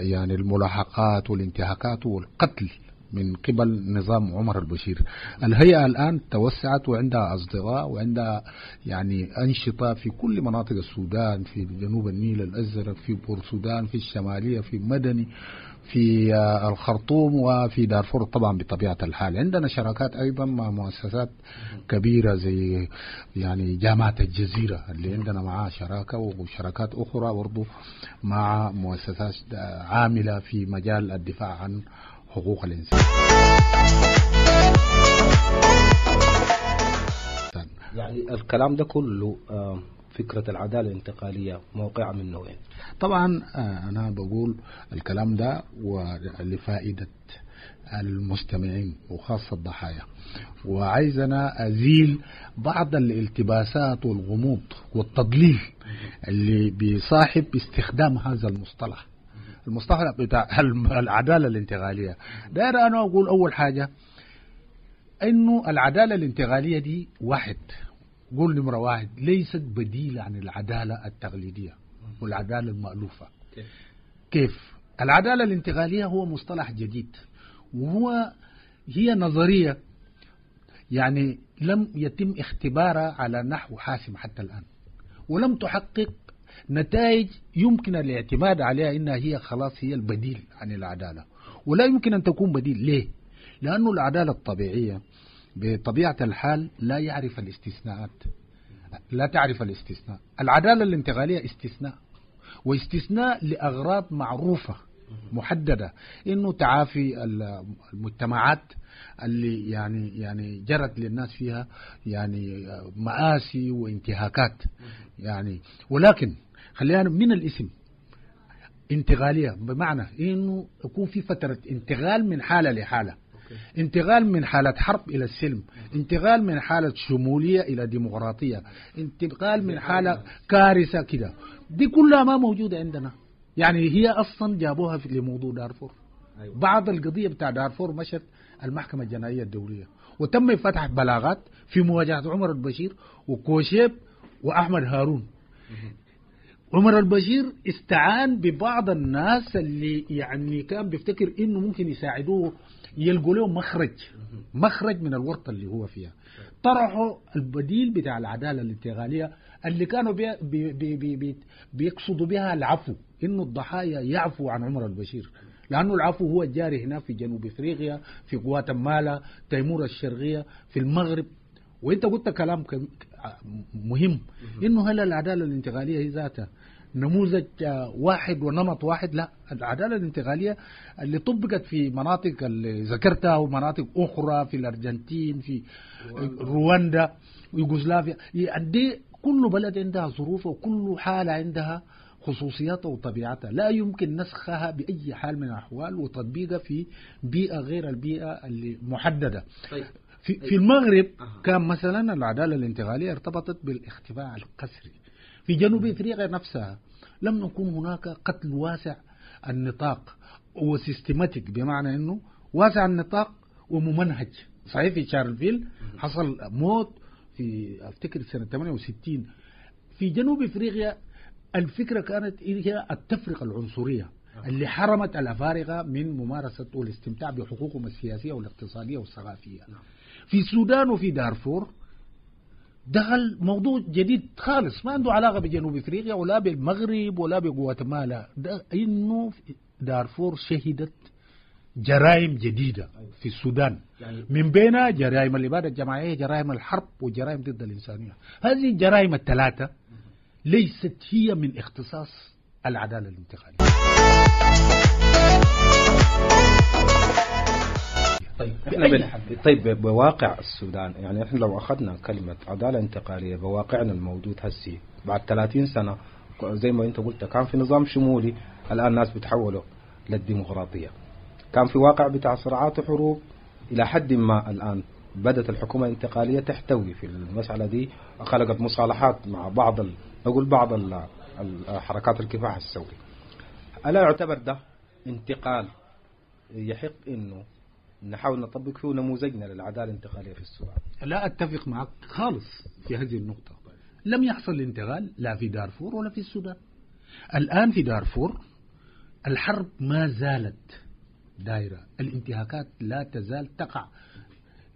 يعني الملاحقات والانتهاكات والقتل من قبل نظام عمر البشير. الهيئة الآن توسعت وعندها أصدقاء وعندها يعني أنشطة في كل مناطق السودان، في جنوب النيل الأزرق، في بورسودان، في الشمالية، في مدني، في الخرطوم، وفي دارفور طبعا بطبيعة الحال. عندنا شراكات أيضا مع مؤسسات كبيرة زي يعني جامعة الجزيرة اللي عندنا معها شراكة، وشراكات أخرى برضو مع مؤسسات عاملة في مجال الدفاع عن حقوق الإنسان. يعني الكلام ده كله فكرة العدالة الانتقالية موقعة منه وين؟ طبعا أنا بقول الكلام ده ولفائدة المستمعين وخاصة الضحايا، وعايز أنا أزيل بعض الالتباسات والغموض والتضليل اللي بيصاحب استخدام هذا المصطلح، المصطلح بتاع العدالة الانتقالية. داير أنا أقول أول حاجة إنه العدالة الانتقالية دي واحد، قول نمرة واحد، ليست بديلة عن العدالة التقليدية والعدالة المألوفة. كيف؟ العدالة الانتقالية هو مصطلح جديد، وهو هي نظرية يعني لم يتم اختبارها على نحو حاسم حتى الآن، ولم تحقق نتائج يمكن الاعتماد عليها إنها هي خلاص هي البديل عن العدالة، ولا يمكن أن تكون بديل. ليه؟ لأنه العدالة الطبيعية بطبيعة الحال لا يعرف الاستثناءات، لا تعرف الاستثناء. العدالة الانتقالية استثناء، واستثناء لأغراض معروفة محددة، إنه تعافي المجتمعات اللي يعني يعني جرت للناس فيها يعني مآسي وانتهاكات يعني. ولكن خلينا من الاسم انتقالية، بمعنى إنه يكون في فترة انتقال من حالة لحالة، انتقال من حالة حرب إلى السلم، انتقال من حالة شمولية إلى ديمقراطية، انتقال من حالة كارثة كده. دي كلها ما موجودة عندنا، يعني هي أصلا جابوها في لموضوع دارفور. أيوة. بعض القضية بتاع دارفور مشت المحكمة الجنائية الدولية، وتم فتح بلاغات في مواجهة عمر البشير وكوشيب وأحمد هارون. عمر البشير استعان ببعض الناس اللي يعني كان بيفتكر إنه ممكن يساعدوه يلقوا له مخرج، مخرج من الورطة اللي هو فيها. طرحوا البديل بتاع العدالة الانتقالية اللي كانوا بي بي بي بي بيقصدوا بها العفو، إنه الضحايا يعفوا عن عمر البشير، لأنه العفو هو الجاري هنا في جنوب إفريقيا، في غواتيمالا، تيمور الشرقية، في المغرب. وانت قلت كلام مهم، إنه هل العدالة الانتقالية هي ذاتها نموذج واحد ونمط واحد؟ لا، العدالة الانتقالية اللي طبقت في مناطق اللي ذكرتها ومناطق أخرى في الأرجنتين، في رواندا، يوغوسلافيا، دي كل بلد عندها ظروفه وكل حالة عندها خصوصياتها وطبيعتها، لا يمكن نسخها بأي حال من الأحوال وتطبيقها في بيئة غير البيئة اللي محددة. طيب. في, في المغرب كان مثلا العدالة الانتقالية ارتبطت بالاختفاء القسري. في جنوب افريقيا نفسها لم يكن هناك قتل واسع النطاق وسيستماتيك، بمعنى انه واسع النطاق وممنهج. صحيح في شارلفيل حصل موت في افتكر سنة ثمانية وستين. في جنوب افريقيا الفكرة كانت هي التفرقة العنصرية اللي حرمت الأفارقة من ممارسة والاستمتاع بحقوقهم السياسية والاقتصادية والثقافية. في السودان وفي دارفور دخل موضوع جديد خالص ما عنده علاقة بجنوب افريقيا ولا بالمغرب ولا بغواتيمالا، انه دارفور شهدت جرائم جديدة في السودان، من بينها جرائم الإبادة الجماعية، جرائم الحرب، وجرائم ضد الإنسانية. هذه الجرائم الثلاثة ليست هي من اختصاص العدالة الانتقالية. طيب احنا طيب بواقع السودان، يعني احنا لو اخذنا كلمة عدالة انتقالية بواقعنا الموجود هسي بعد ثلاثين سنة، زي ما انت قلت كان في نظام شمولي، الان الناس بتحولوا للديمقراطية. كان في واقع بتاع صراعات وحروب الى حد ما، الان بدأت الحكومة الانتقالية تحتوي في المسألة دي، خلقت مصالحات مع بعض ال... نقول بعض ال... حركات الكفاح الثوري. ألا يعتبر ده انتقال يحق انه نحاول نطبق فيه نموذجنا للعدالة الانتقالية في السودان؟ لا أتفق معك خالص في هذه النقطة. لم يحصل انتقال لا في دارفور ولا في السودان. الآن في دارفور الحرب ما زالت دائرة، الانتهاكات لا تزال تقع.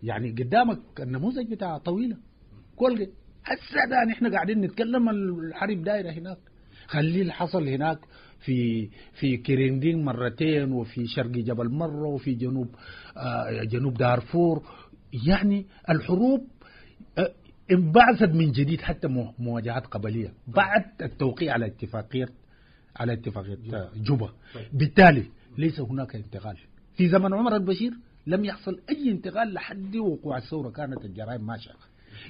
يعني قدامك النموذج بتاع طويلة كل هسه ده نحن قاعدين نتكلم الحرب دايرة هناك. خليه اللي حصل هناك في في كيرندين مرتين، وفي شرق جبل مرة، وفي جنوب آه جنوب دارفور. يعني الحروب آه انبعثت من جديد، حتى مواجهات قبلية بعد التوقيع على اتفاقية على اتفاقية جوبا. بالتالي ليس هناك انتقال. في زمن عمر البشير لم يحصل أي انتقال لحد وقوع الثورة، كانت الجرائم ماشية.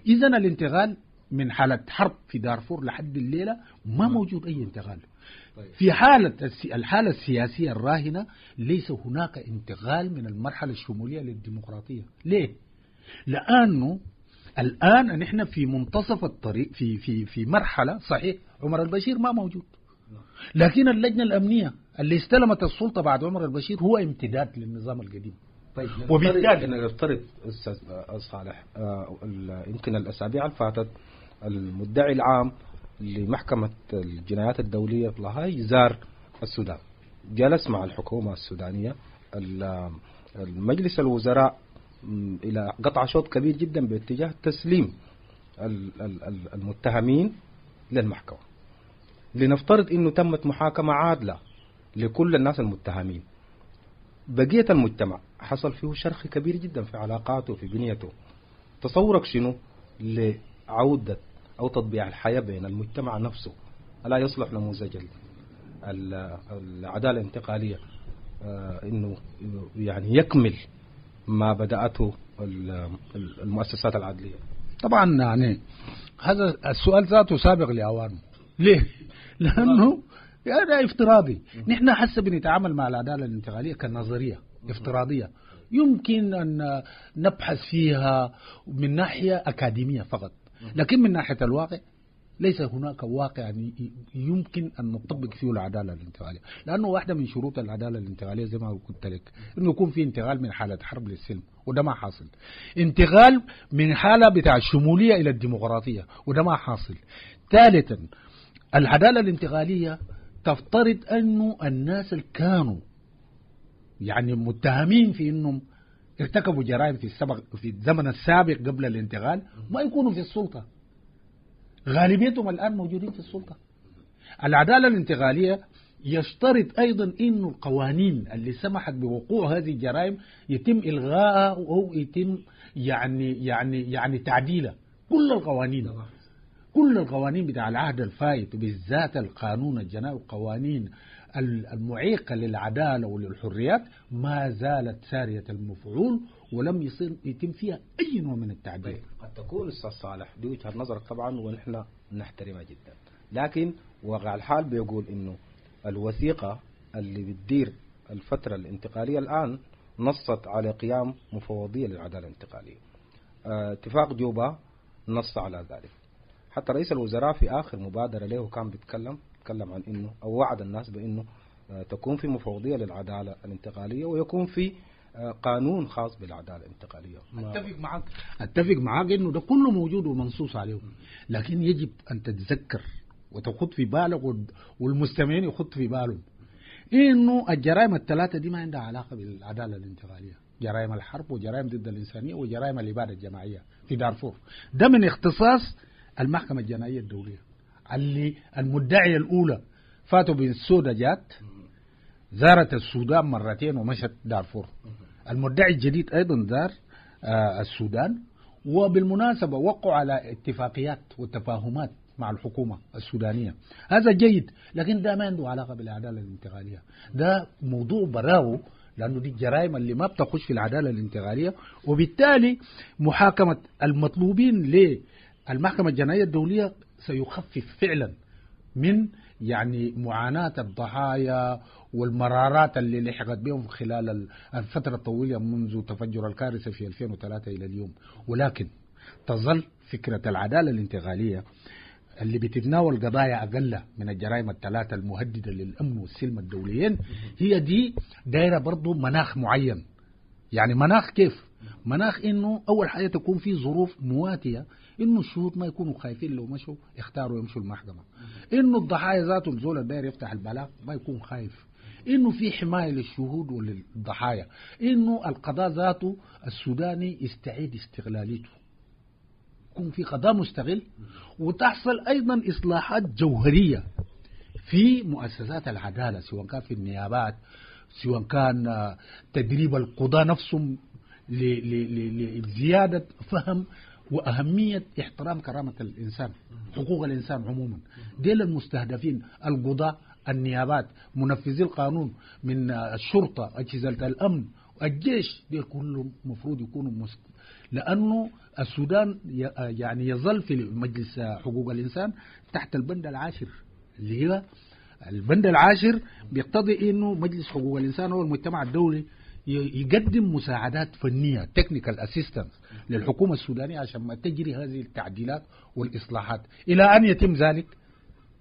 إذن الانتقال من حالة حرب في دارفور لحد الليلة ما موجود أي انتقال. في حالة الحالة السياسية الراهنة ليس هناك انتقال من المرحلة الشمولية للديمقراطية. ليه؟ لأنه الآن نحن في منتصف الطريق، في في في مرحلة صحيح عمر البشير ما موجود، لكن اللجنة الأمنية اللي استلمت السلطة بعد عمر البشير هو امتداد للنظام القديم. طيب، وبالتالي نفترض أستاذ صالح، يمكن الأسابيع اللي فاتت المدعي العام لمحكمة الجنايات الدولية في لاهاي زار السودان، جلس مع الحكومة السودانية، المجلس الوزراء إلى قطع شوط كبير جدا باتجاه تسليم المتهمين للمحكمة. لنفترض أنه تمت محاكمة عادلة لكل الناس المتهمين، بقية المجتمع حصل فيه شرخ كبير جدا في علاقاته في بنيته. تصورك شنو لعودة أو تطبيع الحياة بين المجتمع نفسه؟ ألا يصلح نموذج العدالة الانتقالية إنه يعني يكمل ما بدأته المؤسسات العدلية؟ طبعا يعني هذا السؤال ذاته سابق لأوانه. ليه؟ لأنه هذا افتراضي. نحن حسب بنتعامل مع العدالة الانتقالية كنظرية افتراضية يمكن أن نبحث فيها من ناحية أكاديمية فقط، لكن من ناحية الواقع ليس هناك واقع يمكن أن نطبق فيه العدالة الانتقالية، لأنه واحدة من شروط العدالة الانتقالية زي ما قلت لك أنه يكون في انتقال من حالة حرب للسلم، وده ما حاصل. انتقال من حالة بتاع الشمولية إلى الديمقراطية، وده ما حاصل. ثالثا، العدالة الانتقالية تفترض أنه الناس اللي كانوا يعني متهمين في أنهم ارتكبوا جرائم في السبق في الزمن السابق قبل الانتقال ما يكونوا في السلطة، غالبيتهم الآن موجودين في السلطة. العدالة الانتقالية يشترط أيضا أنه القوانين اللي سمحت بوقوع هذه الجرائم يتم إلغائها أو يتم يعني يعني يعني تعديلها. كل القوانين كل القوانين بتاع العهد الفائت بالذات القانون الجنائي والقوانين المعيقة للعدالة وللحريات ما زالت سارية المفعول ولم يصير يتم فيها أي نوع من التعديل. طيب. قد تكون أستاذ صالح دي وجهة نظرك طبعا ونحن نحترمها جدا، لكن واقع الحال بيقول إنه الوثيقة اللي بتدير الفترة الانتقالية الآن نصت على قيام مفوضية للعدالة الانتقالية. اه اتفاق جوبا نص على ذلك. حتى رئيس الوزراء في آخر مبادرة له كان بيتكلم تكلم عن إنه أو وعد الناس بإنه تكون في مفوضية للعدالة الانتقالية ويكون في قانون خاص بالعدالة الانتقالية. أتفق معك أتفق معك إنه ده كله موجود ومنصوص عليه، لكن يجب أن تتذكر وتخط في بالك والمستمعين يخط في بالهم إنه الجرائم الثلاثة دي ما عندها علاقة بالعدالة الانتقالية، جرائم الحرب وجرائم ضد الإنسانية وجرائم الإبادة الجماعية في دارفور. ده من اختصاص المحكمة الجنائية الدولية اللي المدعية الأولى فاتو بنسودا جات زارت السودان مرتين ومشت دارفور. المدعي الجديد أيضا زار آه السودان، وبالمناسبة وقعوا على اتفاقيات وتفاهمات مع الحكومة السودانية. هذا جيد، لكن ده ما عنده علاقة بالعدالة الانتقالية، ده موضوع براو لأنه دي الجرائم اللي ما بتخش في العدالة الانتقالية، وبالتالي محاكمة المطلوبين للمحكمة الجنائية الدولية سيخفف فعلا من يعني معاناة الضحايا والمرارات اللي لحقت بهم خلال الفترة الطويلة منذ تفجر الكارثة في ألفين وثلاثة إلى اليوم. ولكن تظل فكرة العدالة الانتقالية اللي بتتناول قضايا أقل من الجرائم الثلاثة المهددة للأمن والسلم الدوليين هي دي دايرة برضو مناخ معين. يعني مناخ كيف؟ مناخ إنه أول حاجة تكون في ظروف مواتية، إنه الشهود ما يكونوا خايفين لو مشوا اختاروا يمشوا المحكمة، إنه الضحايا ذاته الزول الداير يفتح البلاغ ما يكون خايف، إنه في حماية للشهود وللضحايا، إنه القضاء ذاته السوداني يستعيد استغلاليته، يكون في قضاء مستغل، وتحصل أيضا إصلاحات جوهرية في مؤسسات العدالة، سواء كان في النيابات، سواء كان تدريب القضاء نفسهم لزيادة فهم وأهمية احترام كرامة الإنسان، حقوق الإنسان عموما. ديل المستهدفين القضاء، النيابات، منفذي القانون من الشرطة، أجهزة الأمن، الجيش دي كلهم المفروض يكونوا مست... لأنه السودان يعني يظل في مجلس حقوق الإنسان تحت البند العاشر، اللي هو البند العاشر بيقتضي إنه مجلس حقوق الإنسان هو المجتمع الدولي يقدم مساعدات فنية technical assistance للحكومة السودانية عشان ما تجري هذه التعديلات والإصلاحات. إلى أن يتم ذلك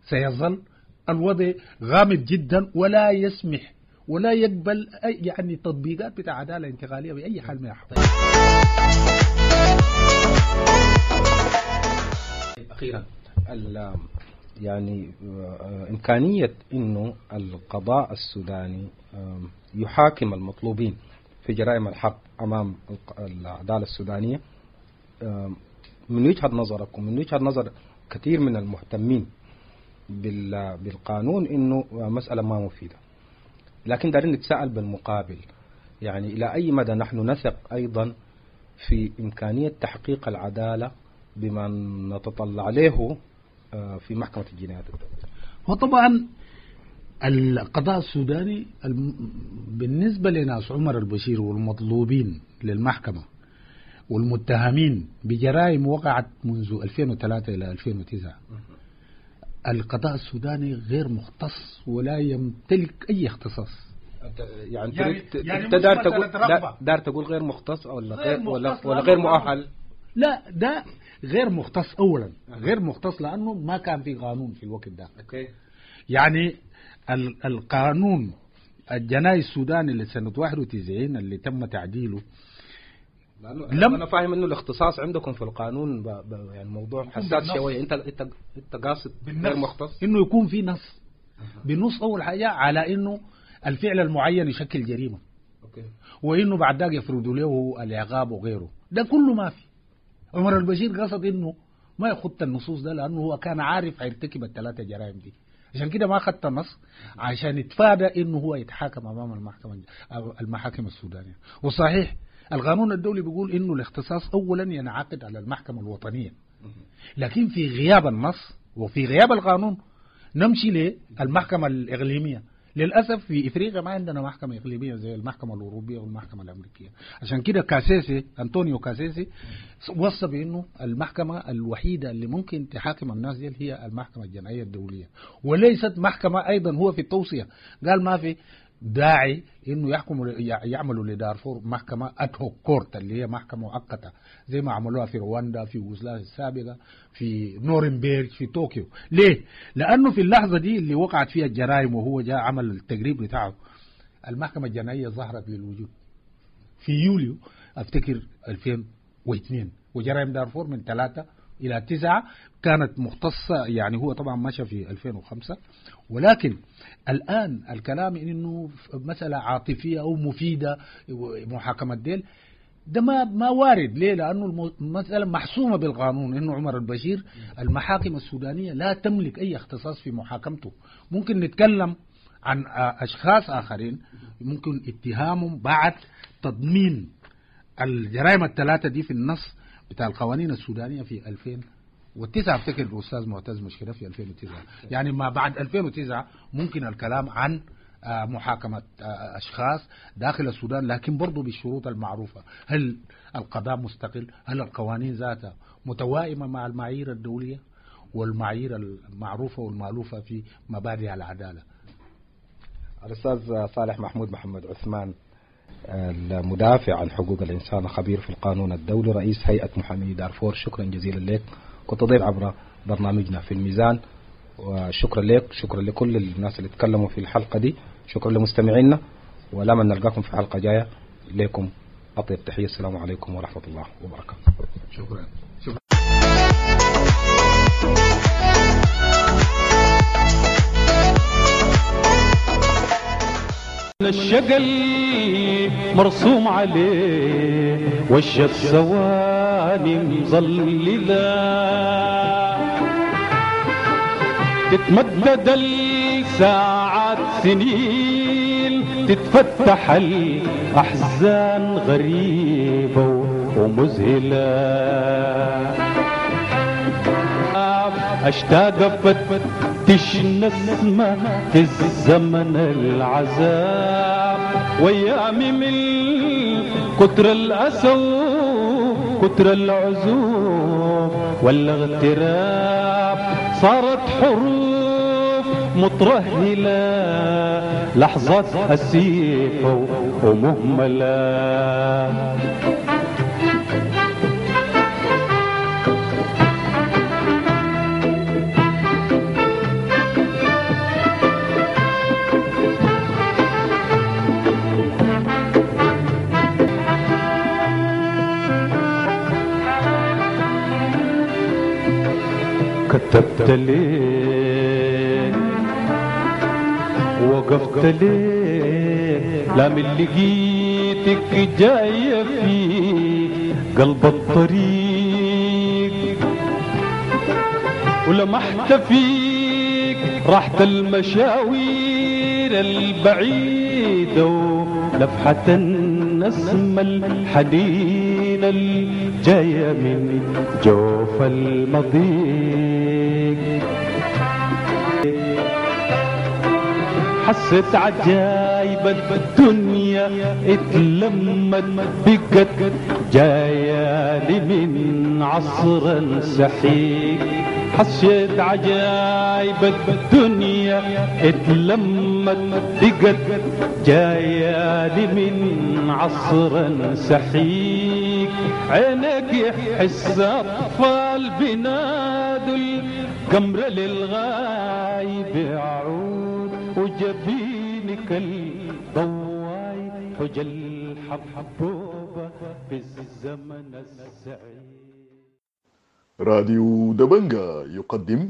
سيظل الوضع غامض جدا ولا يسمح ولا يقبل أي يعني تطبيقات بتاع عدالة انتقالية بأي حال من الأحوال. أخيرا يعني إمكانية إنه القضاء السوداني يحاكم المطلوبين في جرائم الحرب أمام العدالة السودانية من وجهة نظركم، من وجهة نظر كثير من المهتمين بالقانون، إنه مسألة ما مفيدة. لكن دارين نتساءل بالمقابل، يعني إلى أي مدى نحن نثق أيضا في إمكانية تحقيق العدالة بما نتطلع له في محكمة الجنايات الدولية؟ وطبعا القضاء السوداني بالنسبة لناس عمر البشير والمطلوبين للمحكمة والمتهمين بجرائم وقعت منذ ألفين وثلاثة إلى ألفين وتسعة، القضاء السوداني غير مختص ولا يمتلك أي اختصاص. يعني يعني انت دار تقول دار تقول غير مختص ولا غير ولا, ولا غير مؤهل؟ لا، ده غير مختص أولا، غير مختص لأنه ما كان في قانون في الوقت ده. okay. يعني القانون الجنائي السوداني لسنة واحد وتسعين اللي تم تعديله، لم أنا فاهم إنه الاختصاص عندكم في القانون ب... ب... يعني موضوع حساس شوية. أنت أنت أنت قاصد غير مختص إنه يكون في نص بالنص أول حاجة على إنه الفعل المعين يشكل جريمة. okay. وإنه بعد ذلك يفرضوا له العقاب وغيره، ده كله ما في. عمر البشير قصد إنه ما يخط النصوص ده لأنه هو كان عارف هيرتكب الثلاثة جرائم دي، عشان كده ما خدت النص عشان يتفادى إنه هو يتحاكم أمام المحكمة المحاكم السودانية. وصحيح القانون الدولي بيقول إنه الاختصاص أولا ينعقد على المحكمة الوطنية، لكن في غياب النص وفي غياب القانون نمشي للمحكمة الإقليمية. للأسف في إفريقيا ما عندنا محكمة إقليمية زي المحكمة الأوروبية والمحكمة الأمريكية. عشان كده كاسيسي أنطونيو كاسيسي وصى بأنه المحكمة الوحيدة اللي ممكن تحاكم الناس دي هي المحكمة الجنائية الدولية، وليست محكمة. أيضا هو في التوصية قال ما في داعي إنه يحكموا يعملوا لدارفور محكمة ad hoc court اللي هي محكمة مؤقتة زي ما عملوها في رواندا، في يوغوسلافيا السابقة، في نورنبرغ، في طوكيو. ليه؟ لأنه في اللحظة دي اللي وقعت فيها الجرائم وهو جاء عمل التقريب بتاعه، المحكمة الجنائية ظهرت للوجود في يوليو أفتكر ألفين واثنين، وجرائم دارفور من ثلاثة إلى تسعة كانت مختصة. يعني هو طبعا مشى في ألفين وخمسة، ولكن الآن الكلام إنه مسألة عاطفية أو مفيدة محاكمة ديل ده ما ما وارد. ليه؟ لأنه المسألة محسومة بالقانون إنه عمر البشير المحاكم السودانية لا تملك أي اختصاص في محاكمته. ممكن نتكلم عن أشخاص آخرين ممكن اتهامهم بعد تضمين الجرائم الثلاثة دي في النص بتاع القوانين السودانية في ألفين وتسعة. افتكر الأستاذ معتز مشكلة في ألفين وتسعة، يعني ما بعد ألفين وتسعة ممكن الكلام عن محاكمة أشخاص داخل السودان، لكن برضو بالشروط المعروفة. هل القضاء مستقل؟ هل القوانين ذاتها متوائمة مع المعايير الدولية والمعايير المعروفة والمألوفة في مبادئ العدالة؟ الأستاذ صالح محمود محمد عثمان، المدافع عن حقوق الإنسان، خبير في القانون الدولي، رئيس هيئة محامي دارفور، شكرا جزيلا لك. كنت ضيف عبر برنامجنا في الميزان، وشكرا لك، شكرا لكل الناس اللي تكلموا في الحلقة دي، شكرا لمستمعينا، ولما نلقاكم في حلقة جاية لكم أطيب تحية. السلام عليكم ورحمة الله وبركاته. شكرا. شكرا. الشقل مرسوم عليه وش الثواني مظللة، تتمدد الساعات سنين، تتفتح الأحزان غريبة ومذهلة. أشتاق أفتش نسمة في الزمن العذاب، ويامي من كتر الأسى كتر العزوف والاغتراب صارت حروف مترهلة لحظات أسيفة ومهملة. كتبت ليه وقفت ليه لا من لقيتك جاية في قلب الطريق ولمحت فيك راحة المشاوير البعيدة ولفحة النسمة الحنينة الجاية من جوف المضيق. حسيت عجايب الدنيا اتلمت بقت جاية لي من عصر سحيق. حسيت عجايب الدنيا اتلمت بقت جاية لي من عصر سحيق. عينك يحس أطفال بنادوا القمر للغايب عود وجبينك الضواي حجل حبوبة في الزمن السعيد. راديو دبنجا يقدم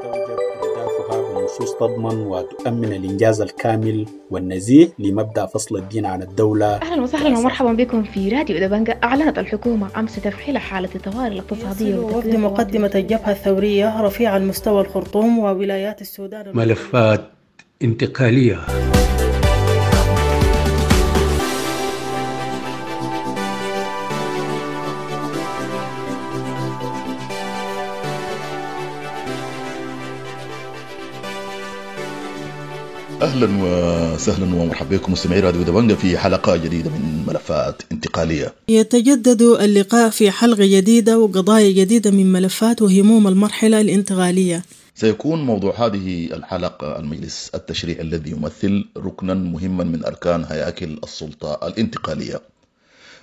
توجد أهدافها بنصوص تضمن وتؤمن الإنجاز الكامل والنزيه لمبدأ فصل الدين عن الدولة. أهلا وسهلا ومرحبا بكم في راديو دبنجا. أعلنت الحكومة أمس تفعيل حالة الطوارئ الاقتصادية وفد مقدمة الجبهة الثورية رفيع المستوى الخرطوم وولايات السودان. ملفات انتقالية. اهلا وسهلا ومرحبا بكم مستمعي راديو دبنجا في حلقه جديده من ملفات انتقاليه. يتجدد اللقاء في حلقه جديده وقضايا جديده من ملفات وهموم المرحله الانتقاليه. سيكون موضوع هذه الحلقه المجلس التشريعي الذي يمثل ركنا مهما من اركان هياكل السلطه الانتقاليه،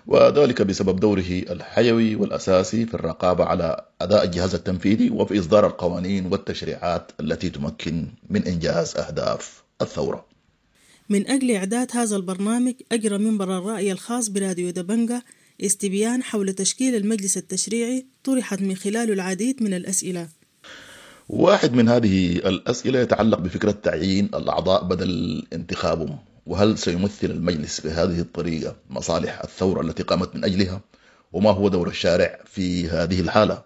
وذلك بسبب دوره الحيوي والاساسي في الرقابه على اداء الجهاز التنفيذي وفي اصدار القوانين والتشريعات التي تمكن من انجاز اهداف الثورة. من أجل إعداد هذا البرنامج أجرى منبر الرأي الخاص براديو دبنجا استبيان حول تشكيل المجلس التشريعي طرحت من خلاله العديد من الأسئلة. واحد من هذه الأسئلة يتعلق بفكرة تعيين الأعضاء بدل انتخابهم، وهل سيمثل المجلس بهذه الطريقة مصالح الثورة التي قامت من أجلها؟ وما هو دور الشارع في هذه الحالة؟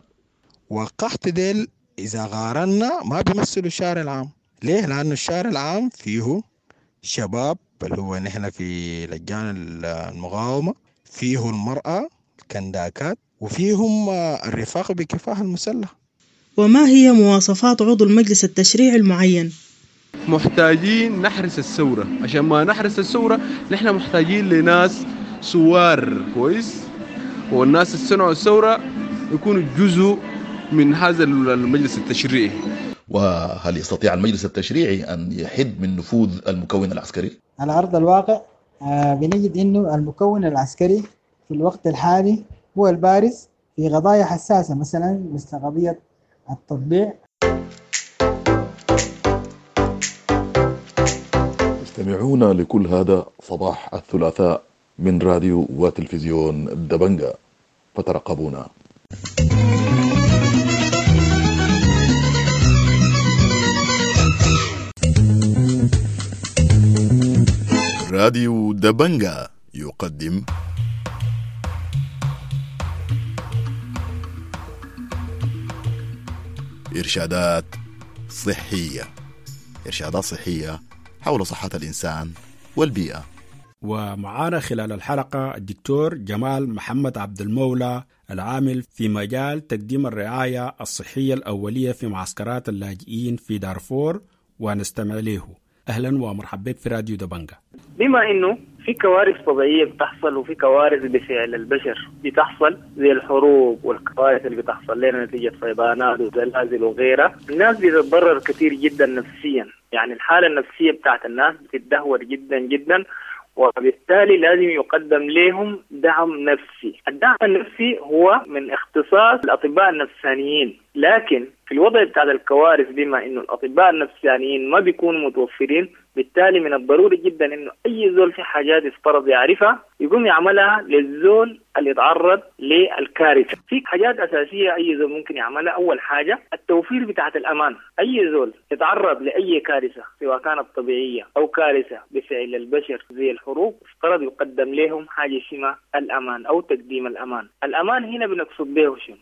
وقحت ديل إذا قارنا ما بيمثلوا الشارع العام. ليه؟ لأنه الشارع العام فيه شباب اللي هو نحن في لجان المقاومة، فيه المرأة الكنداكات، وفيهم الرفاق بكفاح المسلح. وما هي مواصفات عضو المجلس التشريعي المعين؟ محتاجين نحرس الثورة، عشان ما نحرس الثورة نحن محتاجين لناس سوار كويس، والناس اللي صنعوا الثورة يكونوا جزء من هذا المجلس التشريعي. وهل يستطيع المجلس التشريعي أن يحد من نفوذ المكون العسكري؟ على أرض الواقع بنجد أنه المكون العسكري في الوقت الحالي هو البارز في قضايا حساسة، مثلا مثل قضية التطبيع. تستمعون لكل هذا صباح الثلاثاء من راديو وتلفزيون دبنجا، فترقبونا. راديو دبنجا يقدم إرشادات صحية، إرشادات صحية حول صحة الإنسان والبيئة. ومعانا خلال الحلقة الدكتور جمال محمد عبد المولى العامل في مجال تقديم الرعاية الصحية الأولية في معسكرات اللاجئين في دارفور، ونستمع له. أهلا ومرحبا بك في راديو دبنجا. بما أنه في كوارث طبيعية بتحصل وفي كوارث بفعل البشر بتحصل، زي الحروب والكوارث اللي بتحصل لنا نتيجة فيضانات وزلازل وغيرها. الناس بتتضرر كثير جدا نفسيا، يعني الحالة النفسية بتاعت الناس بتتدهور جدا جدا، وبالتالي لازم يقدم لهم دعم نفسي. الدعم النفسي هو من اختصاص الأطباء النفسانيين، لكن في الوضع بتاع الكوارث بما إنه الأطباء النفسانيين ما بيكونوا متوفرين، بالتالي من الضروري جدا إنه أي زول في حاجات يفترض يعرفها يقوم يعملها للزول اللي يتعرض للكارثة. في حاجات أساسية أي زول ممكن يعملها. أول حاجة التوفير بتاعت الأمان. أي زول يتعرض لأي كارثة سواء كانت طبيعية أو كارثة بفعل البشر زي الحروب، افترض يقدم لهم حاجة اسمها الأمان أو تقديم الأمان. الأمان هنا بنقصد به شنو؟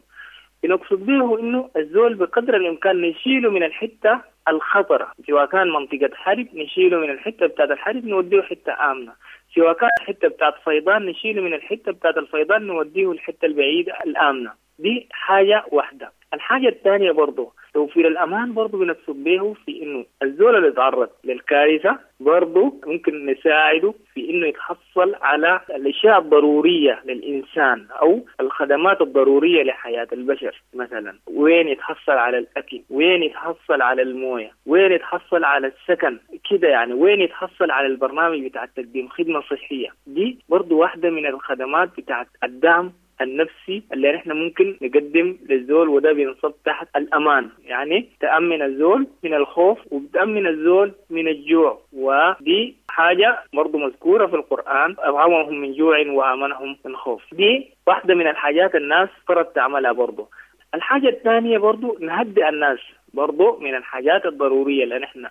بنقصد به إنه الزول بقدر الإمكان نشيله من الحتة الخطرة، سواء كان منطقة حرب نشيله من الحتة بتاعت الحرب نوديه حتة آمنة، سواء كان حتة بتاعت فيضان نشيله من الحتة بتاعت الفيضان نوديه الحتة البعيدة الآمنة. دي حاجة واحدة. الحاجة الثانية برضو توفير الأمان برضو بنقصد به في إنه الزول اللي يتعرض للكارثة برضو ممكن نساعده في إنه يتحصل على الأشياء الضرورية للإنسان أو الخدمات الضرورية لحياة البشر. مثلا وين يتحصل على الأكل، وين يتحصل على الموية، وين يتحصل على السكن كده، يعني وين يتحصل على البرنامج بتاع تقديم خدمة صحية. دي برضو واحدة من الخدمات بتاعت الدعم النفسي اللي نحن ممكن نقدم للزول، وده بينصب تحت الأمان. يعني تأمن الزول من الخوف وبتأمن الزول من الجوع، ودي حاجة برضو مذكورة في القرآن، أطعمهم من جوع وآمنهم من خوف. دي واحدة من الحاجات الناس فرض تعملها برضو. الحاجة الثانية برضو نهدئ الناس، برضو من الحاجات الضرورية اللي نحن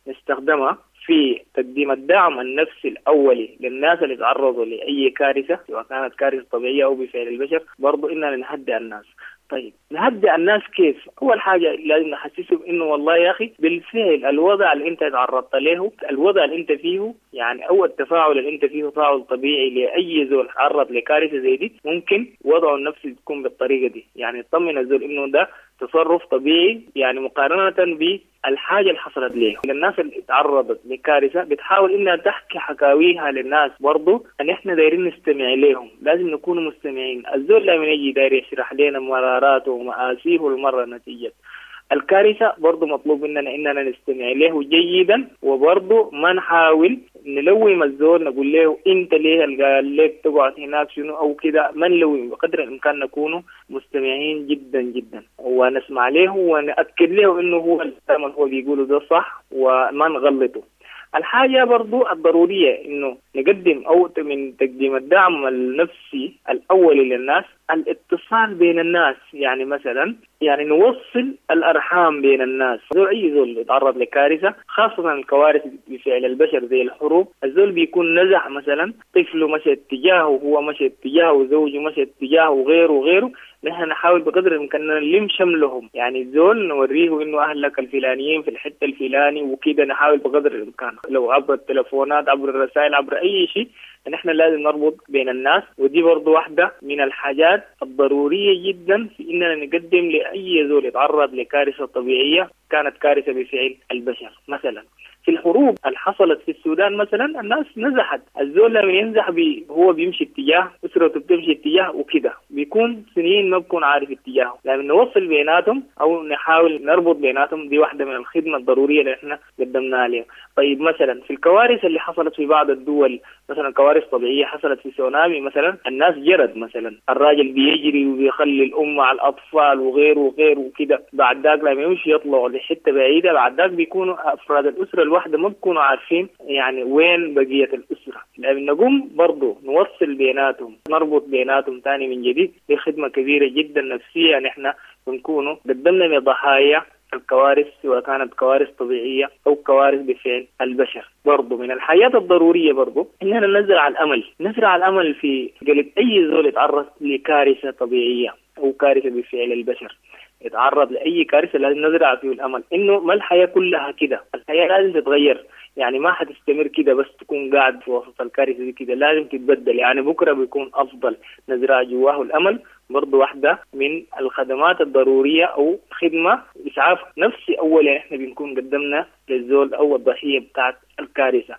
نستخدمها في تقديم الدعم النفسي الأولي للناس اللي تعرضوا لأي كارثة سواء كانت كارثة طبيعية أو بفعل البشر، برضو إننا نهدئ الناس. طيب نهدئ الناس كيف؟ أول حاجة لازم نحسسهم إنه والله يا أخي بالفعل الوضع اللي أنت تعرضت له، الوضع اللي أنت فيه، يعني أو التفاعل اللي أنت فيه تفاعل طبيعي لأي زول تعرض لكارثة زي دي، ممكن وضعه النفسي تكون بالطريقة دي. يعني تطمن الزول إنه ده تصرف طبيعي، يعني مقارنة بالحاجة اللي حصلت ليه. الناس اللي تعرضت لكارثة بتحاول إنها تحكي حكاويها للناس، برضو أن إحنا دايرين نستمع لهم، لازم نكون مستمعين. الزول لما يجي داير يشرح لنا مراراته ومآسيه المرة نتيجة الكارثة، برضو مطلوب مننا إننا نستمع له جيدا، وبرضو ما نحاول نلوم الزول نقول له أنت ليه قال لك تقعد هناك شنو أو كده، ما نلوم، بقدر الإمكان نكون مستمعين جدا جدا ونسمع له ونأكد له إنه هو الكلام اللي هو بيقوله ده صح وما نغلطه. الحاجة برضو الضرورية إنه نقدم أو من تقديم الدعم النفسي الأولي للناس الاتصال بين الناس. يعني مثلا يعني نوصل الأرحام بين الناس. زول أي زول يتعرض لكارثة، خاصة الكوارث بفعل البشر زي الحروب، الزول بيكون نزح مثلا طفله مشى اتجاهه، وهو مشى اتجاهه، وزوجه مشى اتجاهه، وغيره وغيره. نحن نحاول بقدر الإمكان نلم شملهم، يعني الزول نوريه إنه أهلك الفلانيين في الحتة الفلاني وكده. نحاول بقدر الإمكان لو عبر التلفونات، عبر الرسائل، عبر أي شيء، نحن لازم نربط بين الناس. ودي برضو واحدة من الحاجات الضرورية جدا في إننا نقدم لأي زول يتعرض لكارثة طبيعية كانت كارثة بفعل البشر. مثلا في الحروب اللي حصلت في السودان مثلا الناس نزحت، الزول لما ينزح بي هو بيمشي اتجاه، أسرته بتمشي اتجاه وكده، بيكون سنين ما بكون عارف اتجاهه. لما نوصل بيناتهم أو نحاول نربط بيناتهم، دي واحدة من الخدمة الضرورية اللي احنا قدمناها لهم. طيب مثلا في الكوارث اللي حصلت في بعض الدول، مثلا كوارث طبيعية حصلت في سونامي مثلا، الناس جرت مثلا، الراجل بيجري وبيخلي الأم مع الأطفال وغيره وغيره وكده، بعد ذاك لما يمشي يطلعوا لحتة بعيدة، بعد ذاك بيكونوا أفراد الأسرة الواحدة ما بيكونوا عارفين يعني وين بقية الأسرة. لما نقوم برضو نوصل بيناتهم، نربط بيناتهم تاني من جديد، دي خدمة كبيرة جدا نفسية نحن بنكونوا قدمنا لضحايا الكوارث، سواء كانت كوارث طبيعية أو كوارث بفعل البشر. برضو من الحياة الضرورية برضو إننا نزرع الأمل، نزرع الأمل في قلب أي زول يتعرض لكارثة طبيعية أو كارثة بفعل البشر. يتعرض لأي كارثة لازم نزرع فيه الأمل إنه ما الحياة كلها كده، الحياة لازم تتغير، يعني ما حتستمر كده بس تكون قاعد في وسط الكارثة دي كده، لازم تتبدل، يعني بكرة بيكون أفضل. نزرع جواه الأمل برضو واحدة من الخدمات الضرورية أو خدمة إسعاف نفسي أول، يعني إحنا بنكون قدمنا للزول أو الضحية بتاعت الكارثة.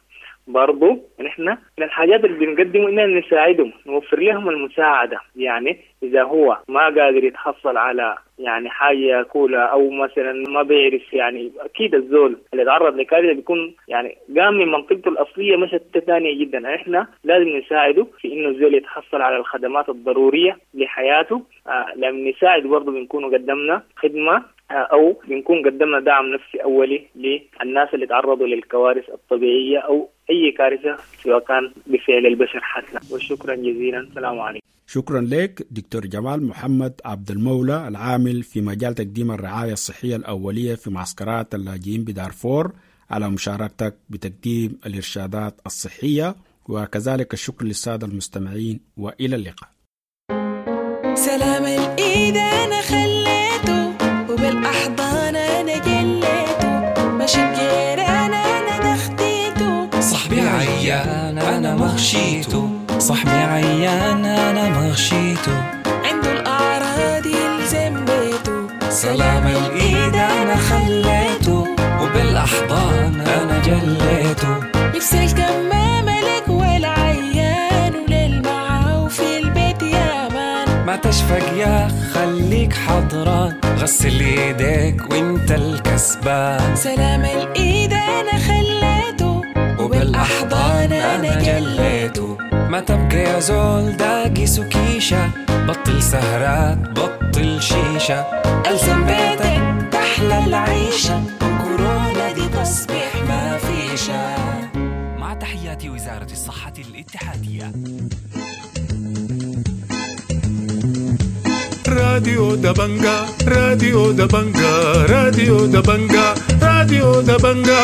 برضو نحن من الحاجات اللي بنقدمه إننا نساعدهم، نوفر لهم المساعدة. يعني إذا هو ما قادر يتحصل على يعني حاجة ياكلها أو مثلا ما بيعرف، يعني أكيد الزول اللي تعرض لكارثة بيكون يعني قام من منطقته الأصلية مشت ثانية جدا. إحنا لازم نساعده في إنه الزول يتحصل على الخدمات الضرورية لحياته. آه لما نساعد برضو بنكون قدمنا خدمة أو بنكون قدمنا دعم نفسي أولي للناس اللي تعرضوا للكوارث الطبيعية أو أي كارثة سواء كان بفعل البشر حتى. وشكرا جزيلا، السلام عليكم. شكرا لك دكتور جمال محمد عبد المولى العامل في مجال تقديم الرعاية الصحية الأولية في معسكرات اللاجئين بدارفور على مشاركتك بتقديم الإرشادات الصحية، وكذلك الشكر للسادة المستمعين، وإلى اللقاء. سلام الإيد أنا خليته وبالأحضان أنا جليته، ماشي بجيران أنا دختيته، صاحبي عيان أنا مغشيته، صاحبي عيان أنا مغشيته، عنده الأعراض يلزم بيته، سلام الإيد أنا خليته وبالأحضان أنا جليته، لبس الكمامة لك والعيان وللمعاو في البيت يا مان، ما تشفق يا خليك حضران، غسل ايديك وانت الكسبان، سلام الايد انا خليته وبالاحضان انا جليته، ما تبقى يا زول داقي سكيشة، بطل سهرات بطل شيشة، الزم بيتك تحلى العيشة، وكورونا دي تصبح ما فيشة. مع تحيات وزارة الصحة الاتحادية. راديو دبنجا، راديو دبنجا، راديو دبنجا، راديو دبنجا.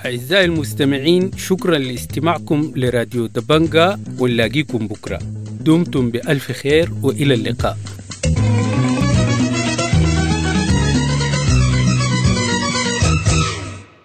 أعزائي المستمعين، شكرا لاستماعكم لراديو دبنجا، ونلاقيكم بكرة. دمتم بألف خير وإلى اللقاء.